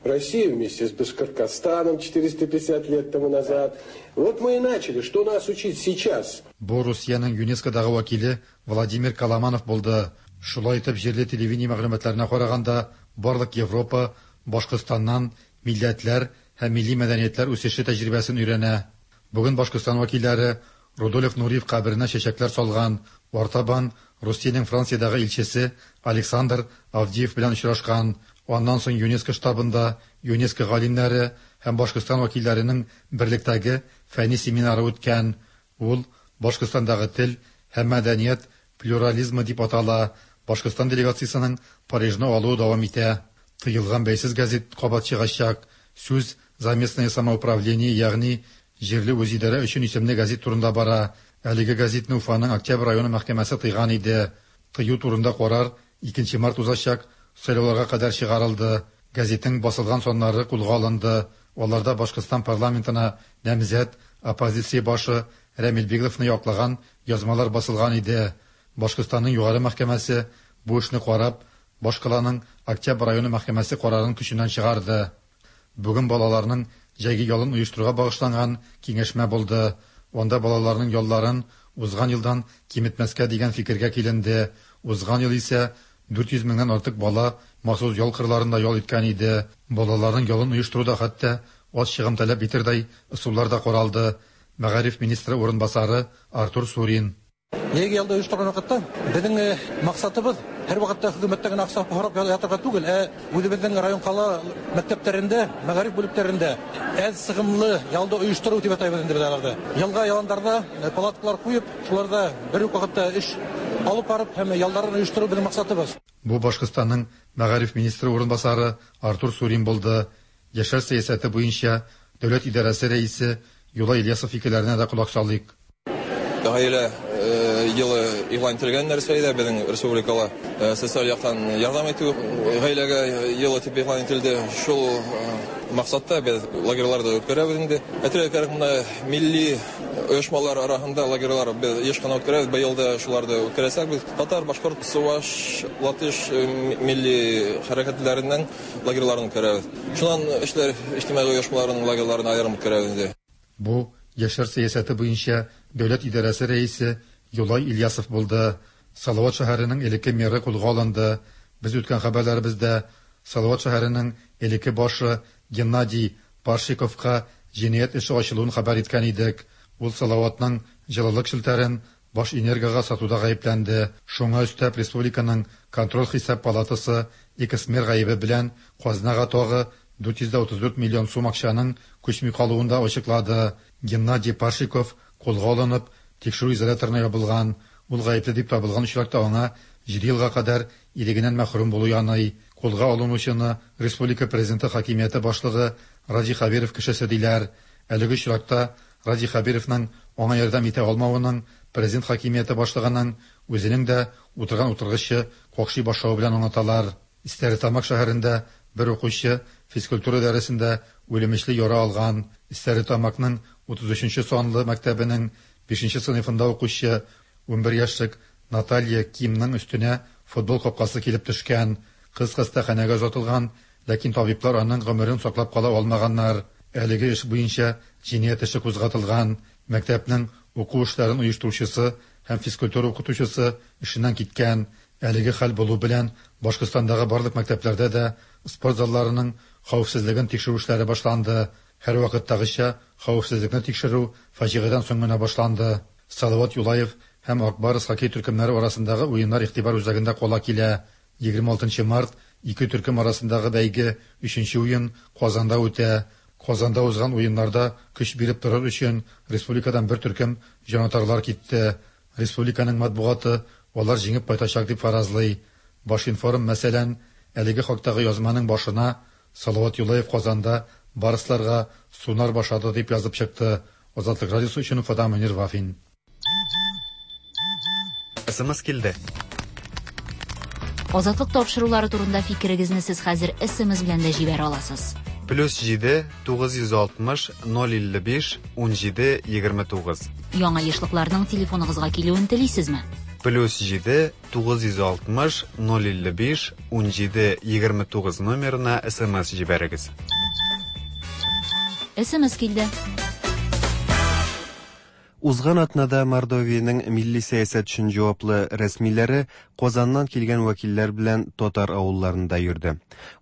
Россия вместе с Башкортостаном 450 лет тому назад. Вот мы и начали. Что нас учить сейчас? Бу Русиянең ЮНЕСКОдагы вәкиле Владимир Каламанов булды. Шулай итеп, җирле телевидение мәгълүматларына караганда, барлык Европа Башкортстаннан милләтләр һәм милли мәдәниятләр үсеше тәҗрибәсен өйрәнә. Бүген Башкортстан вәкилләре Рудольф Нуриев каберенә чәчәкләр салган. Артабан Русиянең Франциядәге илчесе Александр Авдиев белән очрашкан. Аннан соң ЮНЕСКО штабында ЮНЕСКО галимнәре һәм Башкортстан вәкилләренең берлектәге фәнни семинары үткән. Ул Башкортстандагы тел һәм мәдәният плюрализмы дип атала. Башкортстан делегациясенең Парижны алуы дәвам итә. Тыелган бәйсез газет кабат чыгачак. Сүз «За местное самоуправление», ягъни җирле үзидарә өчен исемле газет турында бара. Әлеге газетны Уфаның Октябрь районы мәхкәмәсе тыйган иде. Тыю турында карар 2 март узачак сайлауларга кадәр чыгарылды. Газетның басылган саннары кулга алынды. Аларда Башкортстан парламентына намзәт оппозиция башы Рәмил Бегловны яклаган язмалар басылган иде. Башкортстанның югары мәхкәмәсе бу эшне карап, башкаланың Октябрь районы мәхкәмәсе карарын көченнән чыгарды. Бүген балаларның җәйге ялын оештыруга багышланган киңәшмә булды. Анда балаларның ялларын узган елдан киметмәскә дигән фикергә киленде. Узган ел исә 400 меңнән артык бала махсус ял кырларында ял иткән иде. Балаларның ялын оештыруда хәтта аз чыгым таләп итердәй ысуллар да каралды. Мәгариф министры урынбасары Артур Сурин. Җәйге ялда оештырган вакытта безнең максатыбыз һәр вакытта хөкүмәттән генә акча һорап ятырга түгел, ә үзебезнең район кала мәктәпләрендә, мәгариф бүлекләрендә әз сыгымлы ялды оештыру дип атайбыз инде без аларны. Елга яландарда палаткалар куеп, шуларда бер үк вакытта эш алып барып һәм ялларын оештыру безнең максатыбыз. Бу Башкортстанның мәгариф министры урынбасары Артур Сурин булды. Яшьләр сәясәте буенча дәүләт идарәсе рәисе Юлай Ильясов фикерләренә дә колак салыйк. Гаилә елы игълан ителгән Рәсәйдә безнең республикала социаль яктан ярдәм итү гаиләгә елы дип игълан ителде. Шул максатта без лагерьларда үткәрәбез инде. Әйтергә кирәк, монда милли оешмалар арасында лагерьлар без еш кына үткәрәбез. Быел да шуларны үткәрәчәкбез. Татар, башкорт, чуваш, латыш милли хәрәкәтләреннән лагерьларын үткәрәбез. Шуннан эшләр иҗтимагый оешмаларының лагерьларын аерым үткәрәбез инде. Бу яшьләр сәясәте буенча дәүләт идарәсе рәисе Юлай Ильясов булды. Салават шәһәренең элекке мэры кулга алынды. Без үткән хәбәрләребездә Салават шәһәренең элекке башы Геннадий Паршиковка җинаять эше ачылуын хәбәр иткән идек. Ул Салаватның җылылык челтәрен баш энергога сатуда гаепләнде. Шуңа өстәп республиканың контроль хисап палатасы экс-мэр гаебе белән казнага тагы 434 миллион сум акчаның күчми калуын да ачыклады. Геннадий Паршиков кулга алынып, тикшерү изоляторына ябылган. Ул гаепле дип табылган очракта аңа 7 елга кадәр ирегеннән мәхрүм булу яный. Кулга алынучыны республика президенты хакимияте башлыгы Радий Хәбиров кешесе диләр. Әлеге очракта Радий Хәбировның аңа ярдәм итә алмавының президент хакимияте башлыгының үзенең дә утырган утыргычы какшый башлавы белән аңлаталар. Стәрлетамак шәһәрендә бер укучы физкультура дәресендә үлемечле яра алган. Стәрлетамакның 33 санлы мәктәбенең 5 сыйныфында укучы 11 яшьлек Наталья Кимның өстенә футбол капкасы килеп төшкән. Кыз хастаханәгә озатылган, ләкин табиблар аның гомерен саклап кала алмаганнар. Әлеге эш буенча җинаять эше кузгатылган. Мәктәпнең уку эшләрен оештыручысы һәм физкультура укытучысы эшеннән киткән. Әлеге хәл булу белән Башкортстандагы барлык мәктәпләрдә дә спорт залларының хәвефсезлеген тикшерү эшләре башланды. Һәрвакыттагыча хәвефсезлекне тикшерү фаҗигадән соң гына башланды. Салават Юлаев һәм Ак Барс хоккей төркемнәре арасындагы уеннар игътибар үзәгендә кала килә. 26 март ике төркем арасындагы бәйге өченче уен Казанда үтә. Казанда узган уеннарда көч биреп торыр өчен республикадан бер төркем җанатарлар китте. Республиканың матбугаты алар җиңеп кайтачак дип фаразлый. Башинформ, мәсәлән, әлеге хактагы язманың башына Салават Юлаев Казанда барсларга сунар башлады дип язып чыкты. Азатлык радиосы өчен Уфадан Мөнир Вафин. СМС килде. Азатлык тапшырулары турында фикерегезне сез хәзер СМС белән дә җибәрә аласыз. Плюс 7 960 055 17 29. Яңа ешлыкларның телефоныгызга килүен телисезме? Плюс 7 960 055 17 29 номерына СМС җибәрегез. СМС килде. Узган атнада Мордовиянең милли сәясәт өчен җаваплы рәсмиләре Казаннан килгән вәкилләр белән татар авылларында йөрде.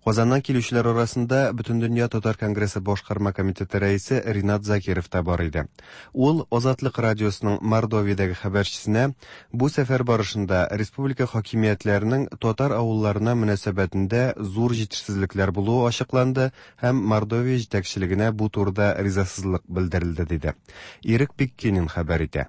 Казаннан килүчеләр арасында Бөтендөнья татар конгрессы башкарма комитеты рәисе Ринат Закиров та бар иде. Ул Азатлык радиосының Мордовиядәге хәбәрчесенә бу сәфәр барышында республика хакимиятләренең татар авылларына мөнәсәбәтендә зур җитешсезлекләр булуы ачыкланды һәм Мордовия җитәкчелегенә бу турыда ризасызлык белдерелде диде. Ирек Биккинин хәбәр итә.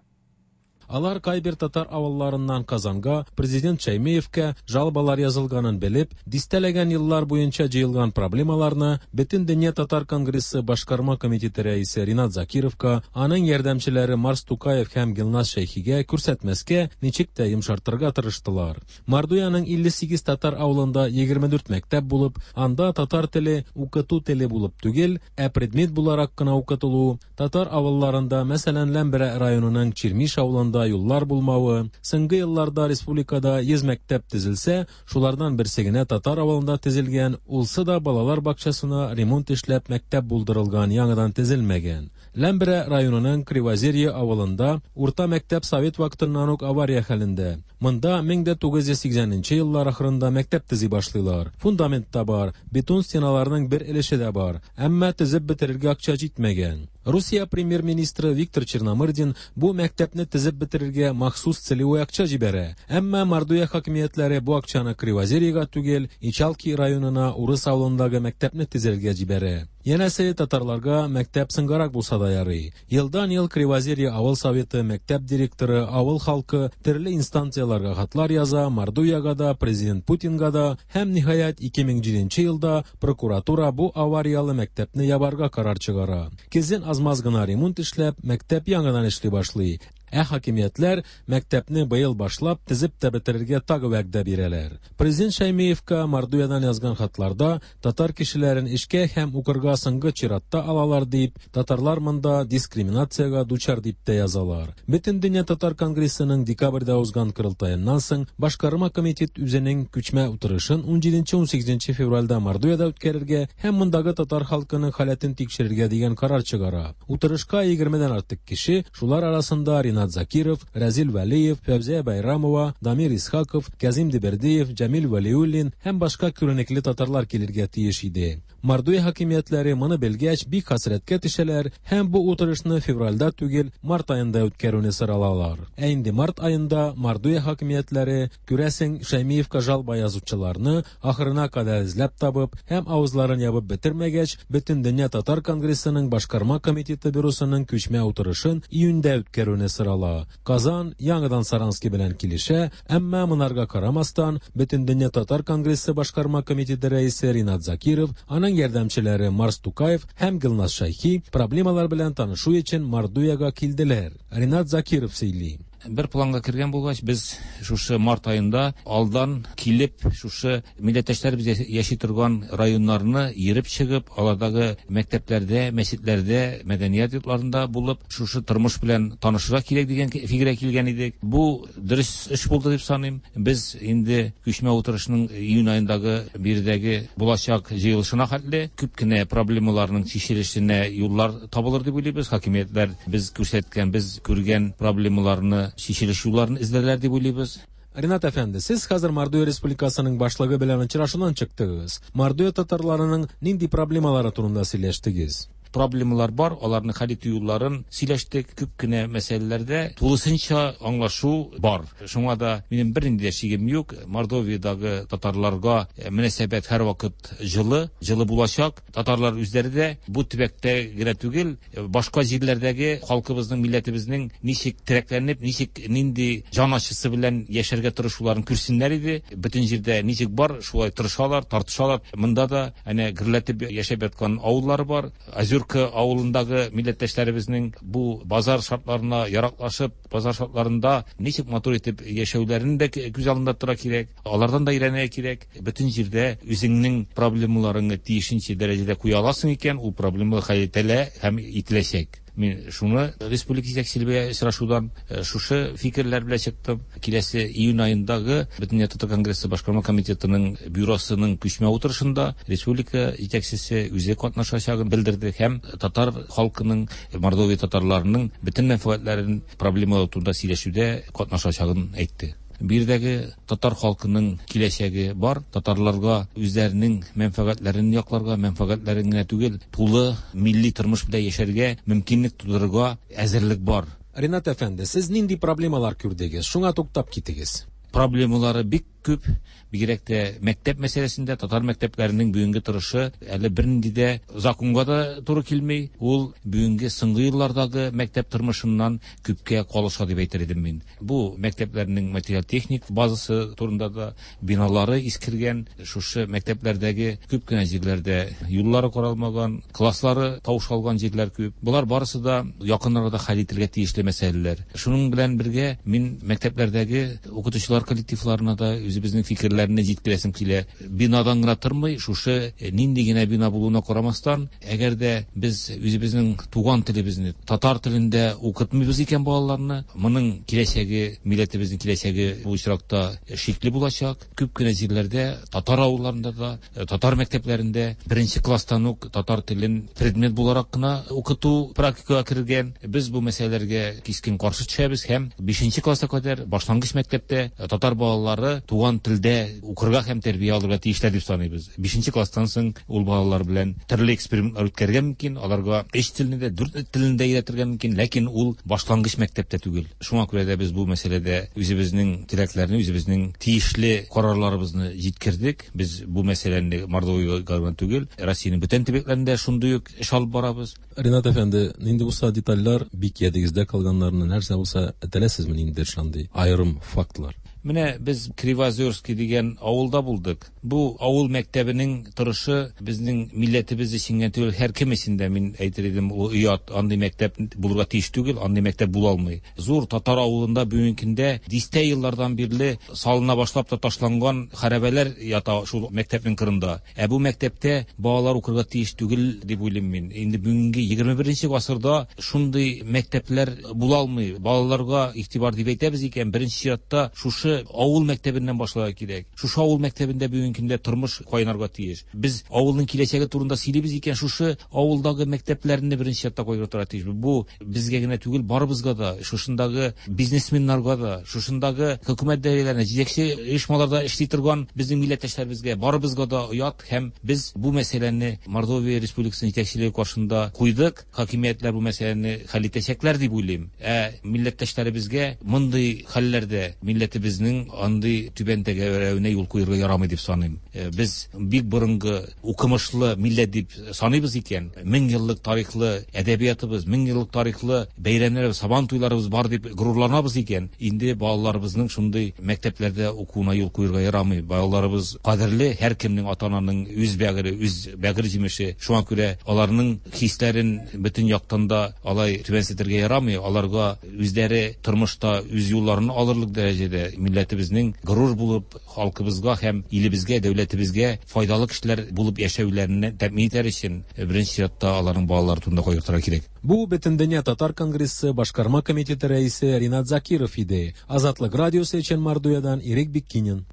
Алар кайбер татар авылларыннан Казанга, президент Шәймиевкә жалобалар язылганын белеп, дистәләгән еллар буенча җыелган проблемаларны Бөтендөнья татар конгрессы башкарма комитеты рәисе Ринат Закировка, аның ярдәмчеләре Марс Тукаев һәм Гелназ Шәйхигә күрсәтмәскә, ничек тә йомшартырга тырыштылар. Мордовиянең 58 татар авылында 24 мәктәп булып, анда татар теле укыту теле булып түгел, ә предмет буларак кына укытылу, татар авылларында, мәсәлән, Ләмберә районының Чирмиш авылында юллар булмавы, соңгы елларда республикада 100 мәктәп төзелсә, шулардан берсе генә татар авылында төзелгән, улсы да балалар бакчасына ремонт эшләп мәктәп булдырылган, яңадан төзелмәгән. Ләмберә районының Кривозерье авылында урта мәктәп совет вакытыннан ук авария хәлендә. Монда 1980 еллар ахырында мәктәп төзи башлыйлар. Фундамент та бар, бетон стеналарның бер өлеше дә бар, әмма төзеп бетерергә акча җитмәгән. Русия премьер-министры Виктор Черномырдин бу мәктәпне төзеп бетерергә махсус целевой акча җибәрә. Әмма Мордовия хакимиятләре бу акчаны Кривозерьега түгел, Ичалки районына урыс авылындагы мәктәпне төзергә җибәрә. Янәсе татарларга мәктәп сыңгарак булса да ярый. Елдан-ел Кривозерье авыл советы, мәктәп директоры, авыл халкы төрле инстанцияләргә хатлар яза, Мордовиягә да, президент Путинга да һәм ниһаять 2007 елда прокуратура бу аварияле мәктәпне ябарга карар чыгара. Көзен аз-маз гына ремонт эшләп, мәктәп яңадан эшли башлый. Ә хакимиятләр мәктәпне быел башлап, төзеп тә бетерергә тагы вәгъдә бирәләр. Президент Шәймиевка Мордовиядан язган хатларда татар кешеләрен эшкә һәм укырга соңгы чиратта алалар дип, татарлар монда дискриминациягә дучар дип тә язалар. Бөтендөнья татар конгрессының декабрьдә узган корылтаеннан соң башкарма комитет үзенең күчмә утырышын 17-18 февральдә Мордовиядә үткәрергә һәм мондагы татар халкының халәтен тикшерергә дигән карар чыгара. Утырышка 20-дән артык кеше, шулар арасында Ринат Закиров, Рәзил Вәлиев, Фәүзия Байрамова, Дамир Исхаков, Кязим Дибердиев, Җәмил Вәлиуллин һәм башка күренекле татарлар килергә тиеш иде. Мордовия хакимиятләре моны белгәч бик хәсрәткә төшәләр һәм бу утырышны февральдә түгел, март аенда үткәрүне соралалар. Ә инде март аенда Мордовия хакимиятләре, күрәсең, Шәймиевка жалоба язучыларны ахырына кадәр эзләп табып һәм авызларын ябып бетермәгәч, Бөтендөнья татар конгрессының башкарма комитеты бюросының күчмә утырышын июньдә үткәрүне сорала. Казан яңадан Саранский белән килешә, әмма монарга карамастан, Бөтендөнья татар конгрессы башкарма комитеты рәисе Ринат Закиров, аның ярдәмчеләре Марс Тукаев һәм Гелназ Шәйхи проблемалар белән танышу өчен Мордовиягә килделәр. Ринат Закиров сөйли. Бер планга кергән булгач, без шушы март аенда алдан килеп, шушы милләттәшләребез яши торган районнарны йөреп чыгып, алардагы мәктәпләрдә, мәчетләрдә, мәдәният йортларында булып, шушы тормыш белән танышырга кирәк дигән фикергә килгән идек. Бу дөрес эш булды дип саныйм. Без инде күчмә утырышның июнь аендагы биредәге булачак җыелышына хәтле күп кенә проблемаларның чишелешенә юллар табылыр дип уйлыйбыз. Хакимиятләр без күрсәткән, без күргән проблемаларны чишелеш юлларын эзләрләр дип уйлыйбыз. Ринат әфәнде, сез хәзер Мордовия Республикасының башлыгы белән очрашудан чыктыгыз. Мордовия татарларының нинди проблемалары турында сөйләштегез? Проблемалар бар, аларны хәл итү юлларын сөйләштек. Күп кенә мәсьәләләрдә тулысынча аңлашу бар. Шуңа да минем бернинди дә шигем юк. Мордовиядагы татарларга мөнәсәбәт һәрвакыт җылы, җылы булачак. Татарлар үзләре дә бу төбәктә генә түгел, башка җирләрдәге халкыбызның, милләтебезнең ничек терәкләнеп, ничек нинди җан ачысы белән яшәргә тырышуларын күрсеннәр иде. Бөтен җирдә ничек бар, шулай тырышалар, тартышалар. Монда да әнә гөрләтеп яшәп яткан авыллар бар. Озерка авылындагы милләттәшләребезнең бу базар шартларына яраклашып, базар шартларында ничек матур итеп яшәүләрен дә күз алдында тотарга кирәк. Алардан да өйрәнергә кирәк. Бөтен җирдә үзеңнең проблемаларыңны тиешенчә дәрәҗәдә куя аласың икән, ул проблемалар хәл ителә һәм ителәчәк. Мин шуны республика җитәкчелеге белән очрашудан шушы фикерләр белән чыктым. Киләсе июнь аендагы Бөтендөнья татар конгрессы башкарма комитетының бюросының күчмә утырышында республика җитәкчесе үзе катнашачагын белдерде һәм татар халкының, Мордовия татарларының бөтен мәнфәгатьләрен проблемалар турында сөйләшүдә катнашачагын әйтте. Биредәге татар халкының киләчәге бар. Татарларга үзләренең мәнфәгатьләрен якларга, мәнфәгатьләрен генә түгел, тулы милли тормыш белән яшәргә мөмкинлек тудырырга әзерлек бар. Ринат әфәнде, сез нинди проблемалар күрдегез? Шуңа туктап китегез. Проблемалары бик күп, бигрәк тә мәктәп мәсьәләсендә. Татар мәктәпләренең бүгенге торышы әле бернинди дә законга да туры килми. Ул бүгенге соңгы еллардагы мәктәп тормышыннан күпкә калыша дип әйтер идем мин. Бу мәктәпләрнең материаль-техник базасы турында да, биналары искергән, шушы мәктәпләрдәге күп кенә җирләрдә юллары каралмаган, класслары таушалган җирләр күп. Болар барысы да якын арада хәл ителергә тиешле мәсьәләләр. Шуның белән бергә мин мәктәпләрдәге укытучылар коллективларына да үзебезнең фикерләрне җиткерәсем килә. Бинадан гына тормый, шушы нинди генә бина булуына карамастан, әгәр дә без үзебезнең туган телебезне, татар телендә укытмыйбыз икән балаларны, моның киләчәге, милләтебезнең киләчәге бу очракта шикле булачак. Күп кенә җирләрдә, татар авылларында да, татар мәктәпләрендә беренче класстан ук татар телен предмет буларак кына укыту практикага кергән. Без бу мәсьәләләргә кискен каршы төшәбез һәм бишенче класска кадәр башлангыч мәктәптә татар балалары туган телдә укырга һәм тәрбия алырга тиешләр дип саныйбыз. Бишенче класстан соң ул балалар белән төрле экспериментлар үткәрергә мөмкин, аларга өч телне дә, дүрт телне дә өйрәтергә мөмкин, ләкин ул башлангыч мәктәптә түгел. Шуңа күрә дә без бу мәсьәләдә үзебезнең теләкләрне, үзебезнең тиешле карарларыбызны җиткердек. Без бу мәсьәләне Мордовиягә гына түгел, Россиянең бүтән төбәкләрендә шундый ук эш алып барабыз. Ринат әфәнде, нинди булса детальләр, бик ядегездә калганнарны, нәрсә булса әйтәләсезме, ниндидер шундый аерым фактлар? Менә без Кривозерский дигән авылда булдык. Бу авыл мәктәбенең торышы безнең милләтебез өчен генә түгел, һәркем өчен дә, мин әйтер идем, ул оят. Андый мәктәп булырга тиеш түгел, андый мәктәп була алмый. Зур татар авылында бүгенге көндә дистә еллардан бирле салына башлап та ташланган хәрабәләр ята шул мәктәпнең кырында. Ә бу мәктәптә балалар укырга тиеш түгел дип уйлыйм мин. Инде бүгенге 21 гасырда шундый мәктәпләр була алмый. Балаларга игътибар дип әйтәбез икән, беренче чиратта шушы авыл мәктәбеннән башларга кирәк. Шушы авыл мәктәбендә бүгенге көндә тормыш кайнарга тиеш. Без авылның киләчәге турында сөйлибез икән, шушы авылдагы мәктәпләрне беренче чиратта кайгыртырга тиешбез. Бу безгә генә түгел, барыбызга да, шушындагы бизнесменнарга да, шушындагы хөкүмәт даирәләренә, җитәкче оешмаларда эшли торган безнең милләттәшләребезгә, барыбызга да оят һәм без бу мәсьәләне Мордовия Республикасының җитәкчелеге каршында куйдык. Хакимиятләр бу мәсьәләне хәл итәчәкләр дип уйлыйм. Ә милләттәшләребезгә мондый хәлләрдә милләтебезнең андый түбән тәгәрәвенә юл куерга ярамый дип саныйм. Без бик борынгы укымышлы милләт дип саныйбыз икән, мең еллык тарихлы әдәбиятыбыз, мең еллык тарихлы бәйрәмнәребез, сабан туйларыбыз бар дип горурланабыз икән, инде балаларыбызның шундый мәктәпләрдә укуына юл куерга ярамый. Балаларыбыз кадерле, һәркемнең ата-ананың үз бәгыре, үз бәгырь җимеше. Шуңа күрә аларның хисләрен бөтен яктан да алай түбәнсетергә ярамый. Аларга үзләре тормышта үз юлларын алырлык дәрәҗәдә милләтебезнең горур булып, халкыбызга һәм илебезгә, дәүләтебезгә файдалы кешеләр булып яшәүләрен тәэмин итәр өчен, беренче чиратта аларның балалары турында кайгыртырга кирәк. Бу Бөтендөнья татар конгрессы башкарма комитеты рәисе Ринат Закиров иде. Азатлык радиосы өчен Мордовиядән Ирек Биккинин.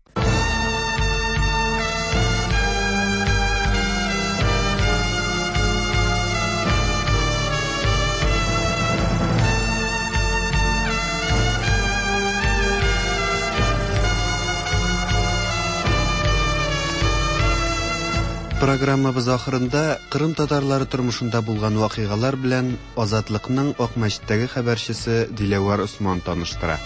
Программабыз ахырында Кырым татарлары тормышында булган вакыйгалар белән Азатлыкның Акмәчеттәге хәбәрчесе Диләвәр Осман таныштыра.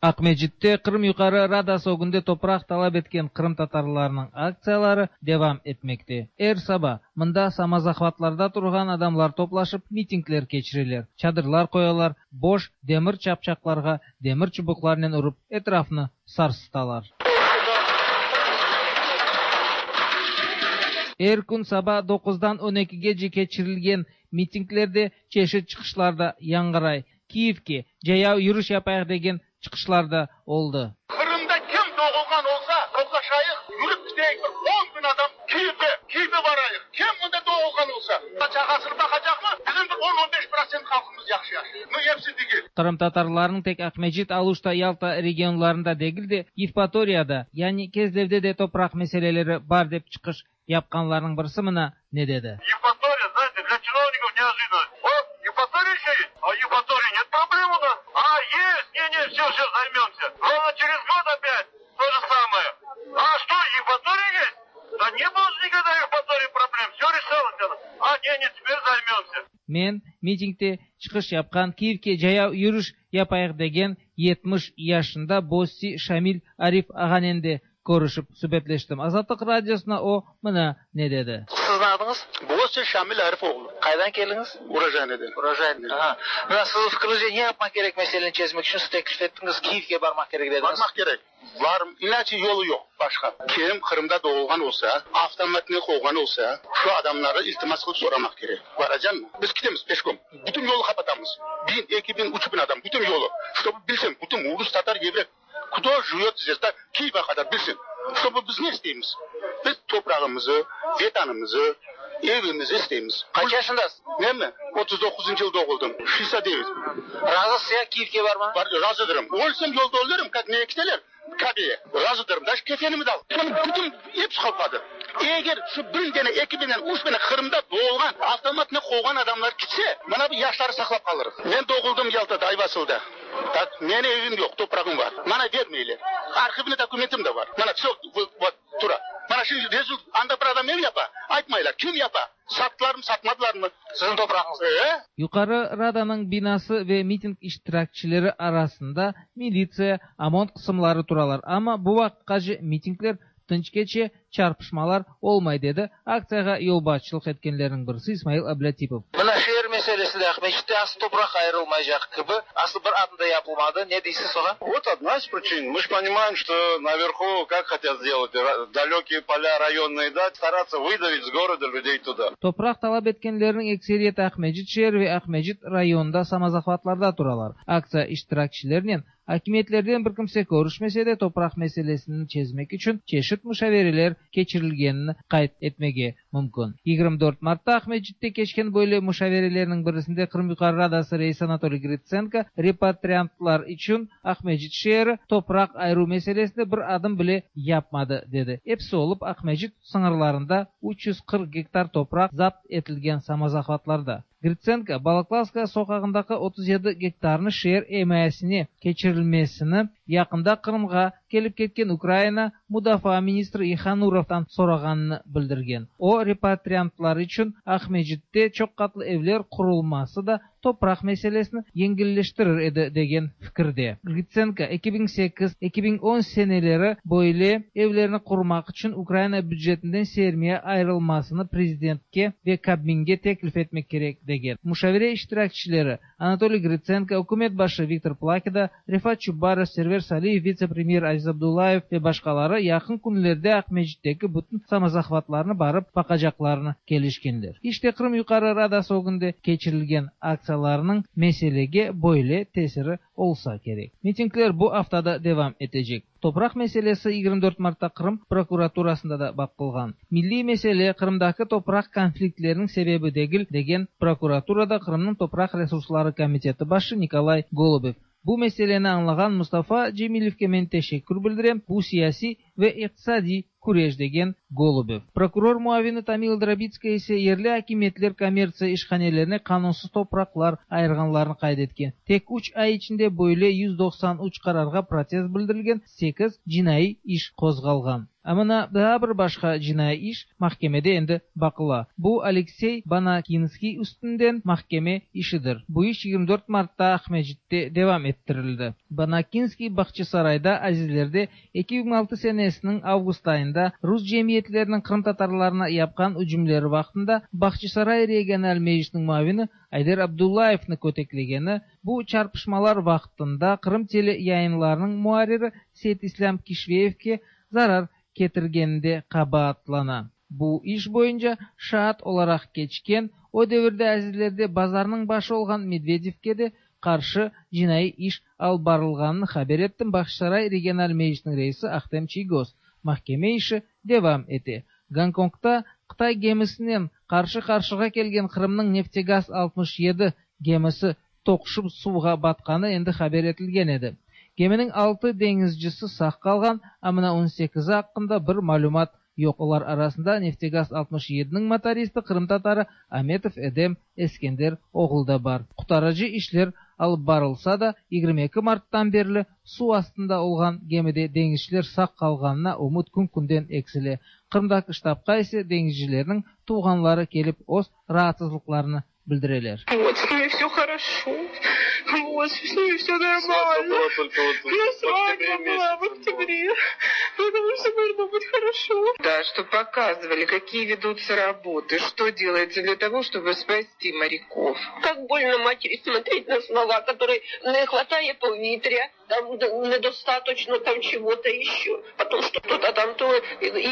Aqmescitte Qırım Yuqarı Radası ögünde topraq talap etken qırımtatarlarnıñ aktsiyaları devam etmekte. Er saba mında samozahvatlarda turğan adamlar toplaşıp, mitingler keçireler, çadırlar qoyalar, boş demir çapçaqlarğa demir çubuqlarnen urıp, etrafnı sarsıtalar. Er kün saba doquzdan on ekigece keçirilgen mitinglerde çeşit çıqışlar da yañğıray. Kiyevge cayav yürüş yapayıq degen çıqışlar da oldı. Qırımda kim doğulğan olsa, toplaşayıq, yürip gideyik, bir on biñ adam Kiyevge, Kiyevge barayıq. Kim mında doğulğan olsa, çağasını baqacaqmı? Bizim bir on, on beş protsent halqımız yahşı yaşay. Nu, episi degil. Qırımtatarlarnıñ tek Aqmescit, Aluşta, Yalta regionlarında degil de, Yevpatoriyada, yani Kezlevde de topraq meseleleri bar dep çıqış yapqanlarnıñ birisi mına ne dedi. Евпатория, знаете, для чиновников неожиданность. О, Евпатория еще есть? А Евпатории нет проблем у нас? А, есть! Не-не, все, все, займемся. Ровно через год опять то же самое. А что, Евпатория есть? Да не было же никогда в Евпатории проблем, все решалось. А, не-не, теперь займемся. Men, mitingde çıqış yapqan, Kiyevge cayav yürüş yapayıq degen 70 yaşında Bossi Şamil Arif ağanen de körüşip subetleştim. Azatlıq Radiosına o mına ne dedi. Sizniñ adıñız? Bossi Şamil Arif oğlu. Qaydan keldiñiz? Urojaynoden. Urojaynoden, aha. Mına siziñ fikriñizce ne yapmaq kerek meseleni çezmek içün? Siz teklif ettiñiz, Kiyevge barmaq kerek dediñiz. Barmaq kerek. Var, inaçe yolu yoq başqa. Kim Qırımda doğulğan olsa, avtomatnen quvğan olsa, şu adamları iltimas qılıp soramaq kerek. Baracammı? Biz ketemiz peşkom. Bütün yolu qapatamız. Biñ, eki biñ, üç biñ adam, bütün yolu. Ştobu bilsin, bütün rus, tatar, evrey, kto jivöt zdes, da Kiyevge qadar bilsin. Ştobu biz ne isteymiz? Biz toprağımızı, vetanımızı, evimizi isteymiz. Qaç yaşındasız? Menmi? Otuz doquzıncı yıl doğuldım. Şestdesât devet. Razısız ya Kiyevge barmağa? Bar, razıdırım. Ölsem yolda ölerim, kak meni kiteler Kabeye. Razıdırım. Daje kefenimi de al. Bunı bütün episi qopqadı. Eger şu bir dene, eki denen, üç dene Qırımda doğulğan, avtomatnen quvğan adamlar kitse, mına bu yaşları saqlap qalırıq. Men doğuldım Yaltada, Ayvasılda. Tak, meni evim yoq, toprağım bar. Mana bermeyler. Arhivniy dokumentim de bar. Mana vsö, vot, tura. Mana şimdi rezult, anda bir adam ev yapa, aytmaylar, kim yapa, sattılarmı, satmadılarmı. Siziñ toprağıñız. E? Yuqarı Radanıñ binası ve miting iştirakçileri arasında militsiya, OMON qısımları turalar, amma bu vaqıtqace mitingler tınç keçe, çarpışmalar olmay, dedi aktsiyağa yolbaşçılıq etkenlerniñ birisi İsmail Ablâtipov. Mına şeer meselesi de Aqmescitte asıl topraq ayırılmaycaq kibi, asıl bir adım da yapılmadı. Ne deysiz oña? Вот одна из причин. Мы ж понимаем, что наверху как хотят сделать, далекие поля районные дать, стараться выдавить с города людей туда. Topraq talap etkenlerniñ ekseriyeti Aqmescit şeeri ve Aqmescit rayonında samozahvatlarda turalar. Aktsiya iştirakçilerinen Akimiyetlerden bir kimse körüşmese de, topraq meselesini çezmek içün çeşit muşavereler keçirilgenini qayd etmege mümkün. 24 martta Aqmescitte keçken böyle muşaverelerniñ birisinde Qırım Yuqarı Radası reisi Anatoliy Gritsenko repatriantlar içün Aqmescit şeeri topraq ayıruv meselesinde bir adım bile yapmadı, dedi. Episi olıp Aqmescit sıñırlarında 340 gektar topraq zapt etilgen samozahvatlarda. Gritsenko, Balaklavskaya soqağındaki 37 gektarnı şeer imayesine keçirilmesini yaqında Qırımğa kelip ketken Ukraina mudafaa ministri İhanurovdan sorağanını bildirgen. O, repatriantlar içün Aqmescitte çoqqatlı evler qurulması da topraq meselesini yengilleştirir edi degen fikirde. Gritsenko, 2008, 2010 seneleri böyle evlerni qurmaq içün Ukraina bücetinden sermiya ayırılmasını prezidentke ve Kabminge teklif etmek kerek, degen. Muşavere iştirakçileri, Anatoliy Gritsenko, ükümet başı Viktor Plakida, Refat Çubarov, Server Saliyev, vitse-premyer Aziz Abdullayev ve başqaları yaqın künlerde Aqmescitteki bütün samozahvatlarnı barıp baqacaqlarını kelişkenler. İşte Qırım Yuqarı Radası ögünde keçirilgen aktsiyalarnıñ meselege böyle tesiri olsa kerek. Mitingler bu afta da devam etecek. Topraq meselesi 24 martta Qırım prokuraturasında da baqılğan. Milliy mesele Qırımdaki topraq konfliktleriniñ sebebi degil, degen prokuraturada Qırımnıñ topraq resursları komiteti başı Nikolay Golubev. Bu meseleni añlağan Mustafa Cemilevge men teşekkür bildirem, bu siyasiy ve iqtisadiy küreş, degen Golubev. Prokuror muavini Tamila Drabitskaya ise yerli akimiyetler kommertsiya işhanelerine qanunsız topraqlar ayırğanlarını qayd etken. Tek üç ay içinde böyle 193 qararğa protest bildirilgen, sekiz cinaiy iş qozğalğan. A mına daa bir başqa cinaiy iş mahkemede endi baqıla. Bu Aleksey Banakinskiy üstünden mahkeme işidir. Bu iş 24 martta Aqmescitte devam ettirildi. Banakinskiy Bağçasarayda Azizlerde 2006 senesiniñ avgust ayında rus cemiyetleriniñ qırımtatarlarına yapqan ücümleri vaqtında Bağçasaray regional meclisiniñ muavini Ayder Abdullayevni köteklegeni, bu çarpışmalar vaqtında Qırım tele yayınlarınıñ muarriri Seytislâm Kişveyevke zarar ketirgeninde qabaatlana. Bu iş boyunca şaat olaraq keçken, o devirde Azizlerde bazarnıñ başı olğan Medvedevke de qarşı cinaiy iş alıp barılğanını haber etti Bağçasaray regional meclisiniñ reisi Ahtem Çiygoz. Mahkeme işi devam ete. Gonkongda Qıtay gemisinen qarşı-qarşığa kelgen Qırımnıñ Neftegaz 67 gemisi toquşıp suvğa batqanı endi haber etilgen edi. Geminiñ altı deñizcisi sağ qalğan, a mına on sekizi aqqında bir malümat yoq. Olar arasında Neftegaz 67-niñ motoristi qırımtatarı Ametov Edem Eskender oğlu da bar. Qutarıcı işler alıp barılsa da, 22 marttan berli suv astında olğan gemide deñizciler sağ qalğanına ümüt kün-künden eksile. Qırımdaki ştabqa ise deñizcilerniñ tuvğanları kelip öz raatsızlıqlarını bildireler. Вот, с ними все хорошо. Вот, с ними все нормально. У свадьба была в октябре. Потому что должно быть хорошо. Да, что показывали, какие ведутся работы, что делается для того, чтобы спасти моряков. Как больно матери смотреть на слова, которые не хватает повітря, там недостаточно там чего-то еще. Потом что-то там, то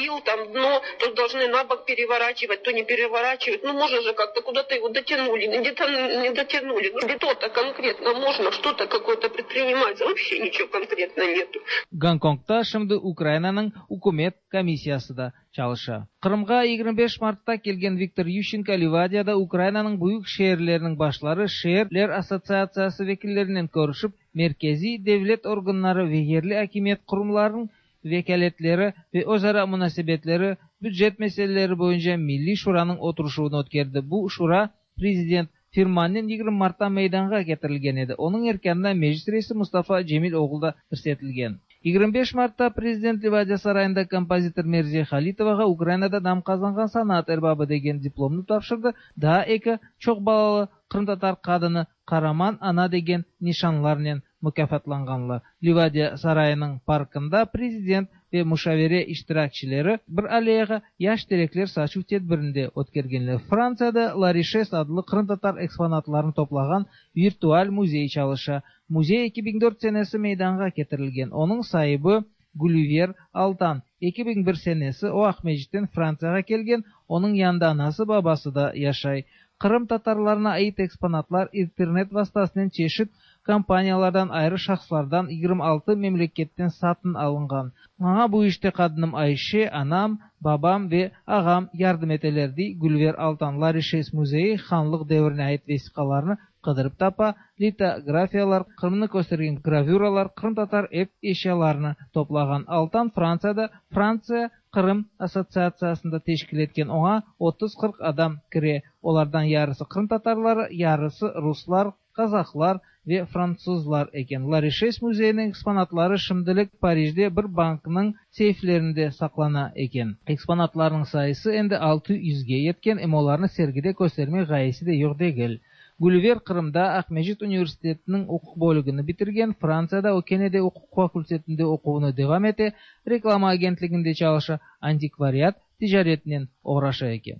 ил, там дно, то должны на бок переворачивать, то не переворачивать. Ну, можно же как-то куда-то его дотянули, где-то не дотянули. Ну, что-то конкретно можно, что-то какое-то предпринимать. Вообще ничего конкретно нету. Gonkongda şimdi Ukrainanıñ ükümet komissiyası da çalışa. Qırımğa 25 martta kelgen Viktor Yuşçenko Livadiyada Ukrainanıñ büyük şeerleriniñ başları, şeerler assotsiatsiyası vekillerinen körüşip, merkeziy devlet organları ve yerli akimiyet qurumlarınıñ vekâletleri ve özara munasebetleri, bücet meseleleri boyunca Milliy şuranıñ oturışuvını ötkerdi. Bu şura prezident firmanınen 20 martta meydanğa ketirilgen edi. Onıñ erkânına Meclis reisi Mustafa Cemil oğlu da kirsetilgen. 25 martta prezident Livadiya sarayında kompozitor Merziye Halitovağa Ukrainada nam qazanğan sanat erbabı degen diplomnı tapşırdı, daa eki çoq balalı qırımtatar qadını Qaraman ana degen nişanlarnen mukâfatlanğanlar. Livadiya sarayınıñ parkında prezident ve muşavere iştirakçileri bir alleyağa yaş terekler saçuv tedbirini de ötkergenler. Frantsiyada Larişes adlı qırımtatar eksponatlarını toplağan virtual müzey çalışa. Müzey 2004 senesi meydanğa ketirilgen. Onıñ saibi, Gülüver Altan. 2001 senesi o Aqmescitten Frantsiyağa kelgen, onıñ yanında anası, babası da yaşay. Qırım tatarlarına ait eksponatlar internet vastasınen çeşit kompaniyalardan, ayrı şahıslardan 26 memleketten satın alınğan. Maña bu işte qadınım Ayşe, anam, babam ve ağam yardım eteler, dey Gülver Altan. Larişes müzeyi hanlıq devrine ait vesiqalarnı qıdırıp tapa, litografiyalar, Qırımnı köstergen gravüralar, qırımtatar ev eşyalarını toplağan. Altan Frantsiyada Frantsiya Qırım assotsiatsiyasını da teşkil etken, oña otuz-qırq adam kire, olardan yarısı qırımtatarları, yarısı ruslar, qazahlar ve frantsuzlar eken. Larişes müzeyiniñ eksponatları şimdilik Parijde bir banknıñ seyflerinde saqlana eken. Eksponatlarnıñ sayısı endi altı yüzge yetken, em olarnı sergide köstermek ğayesi de yoq degil. Gülüver Qırımda Aqmescit universitetiniñ uquq bölügini bitirgen, Frantsiyada o kene de uquq fakultetinde oquvını devam ete, reklama agentliginde çalışa, antikvariat ticaretinen oğraşa eken.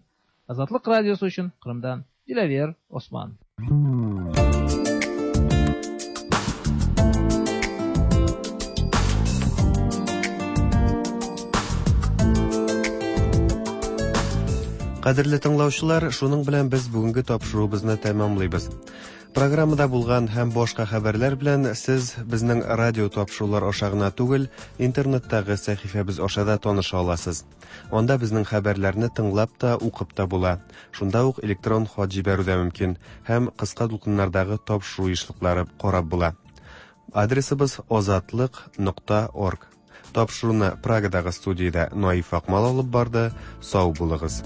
Azatlıq Radiosı içün Qırımdan Dilâver Osman. Кадерле тыңлаучылар, шуның белән без бүгенге тапшыруыбызны тәмамлыйбыз. Программада булган һәм башка хәбәрләр белән сез безнең радио тапшырулар аша гына түгел, интернеттагы сәхифәбез аша да таныша аласыз. Анда безнең хәбәрләрне тыңлап та, укып та була. Шунда ук электрон хат җибәрү дә мөмкин һәм кыска дулкыннардагы тапшыру ешлыклары карап була. Адресыбыз озатлык нокта орг. Тапшыруны Прагадагы студиядә Наиф Акмал алып барды. Сау булыгыз.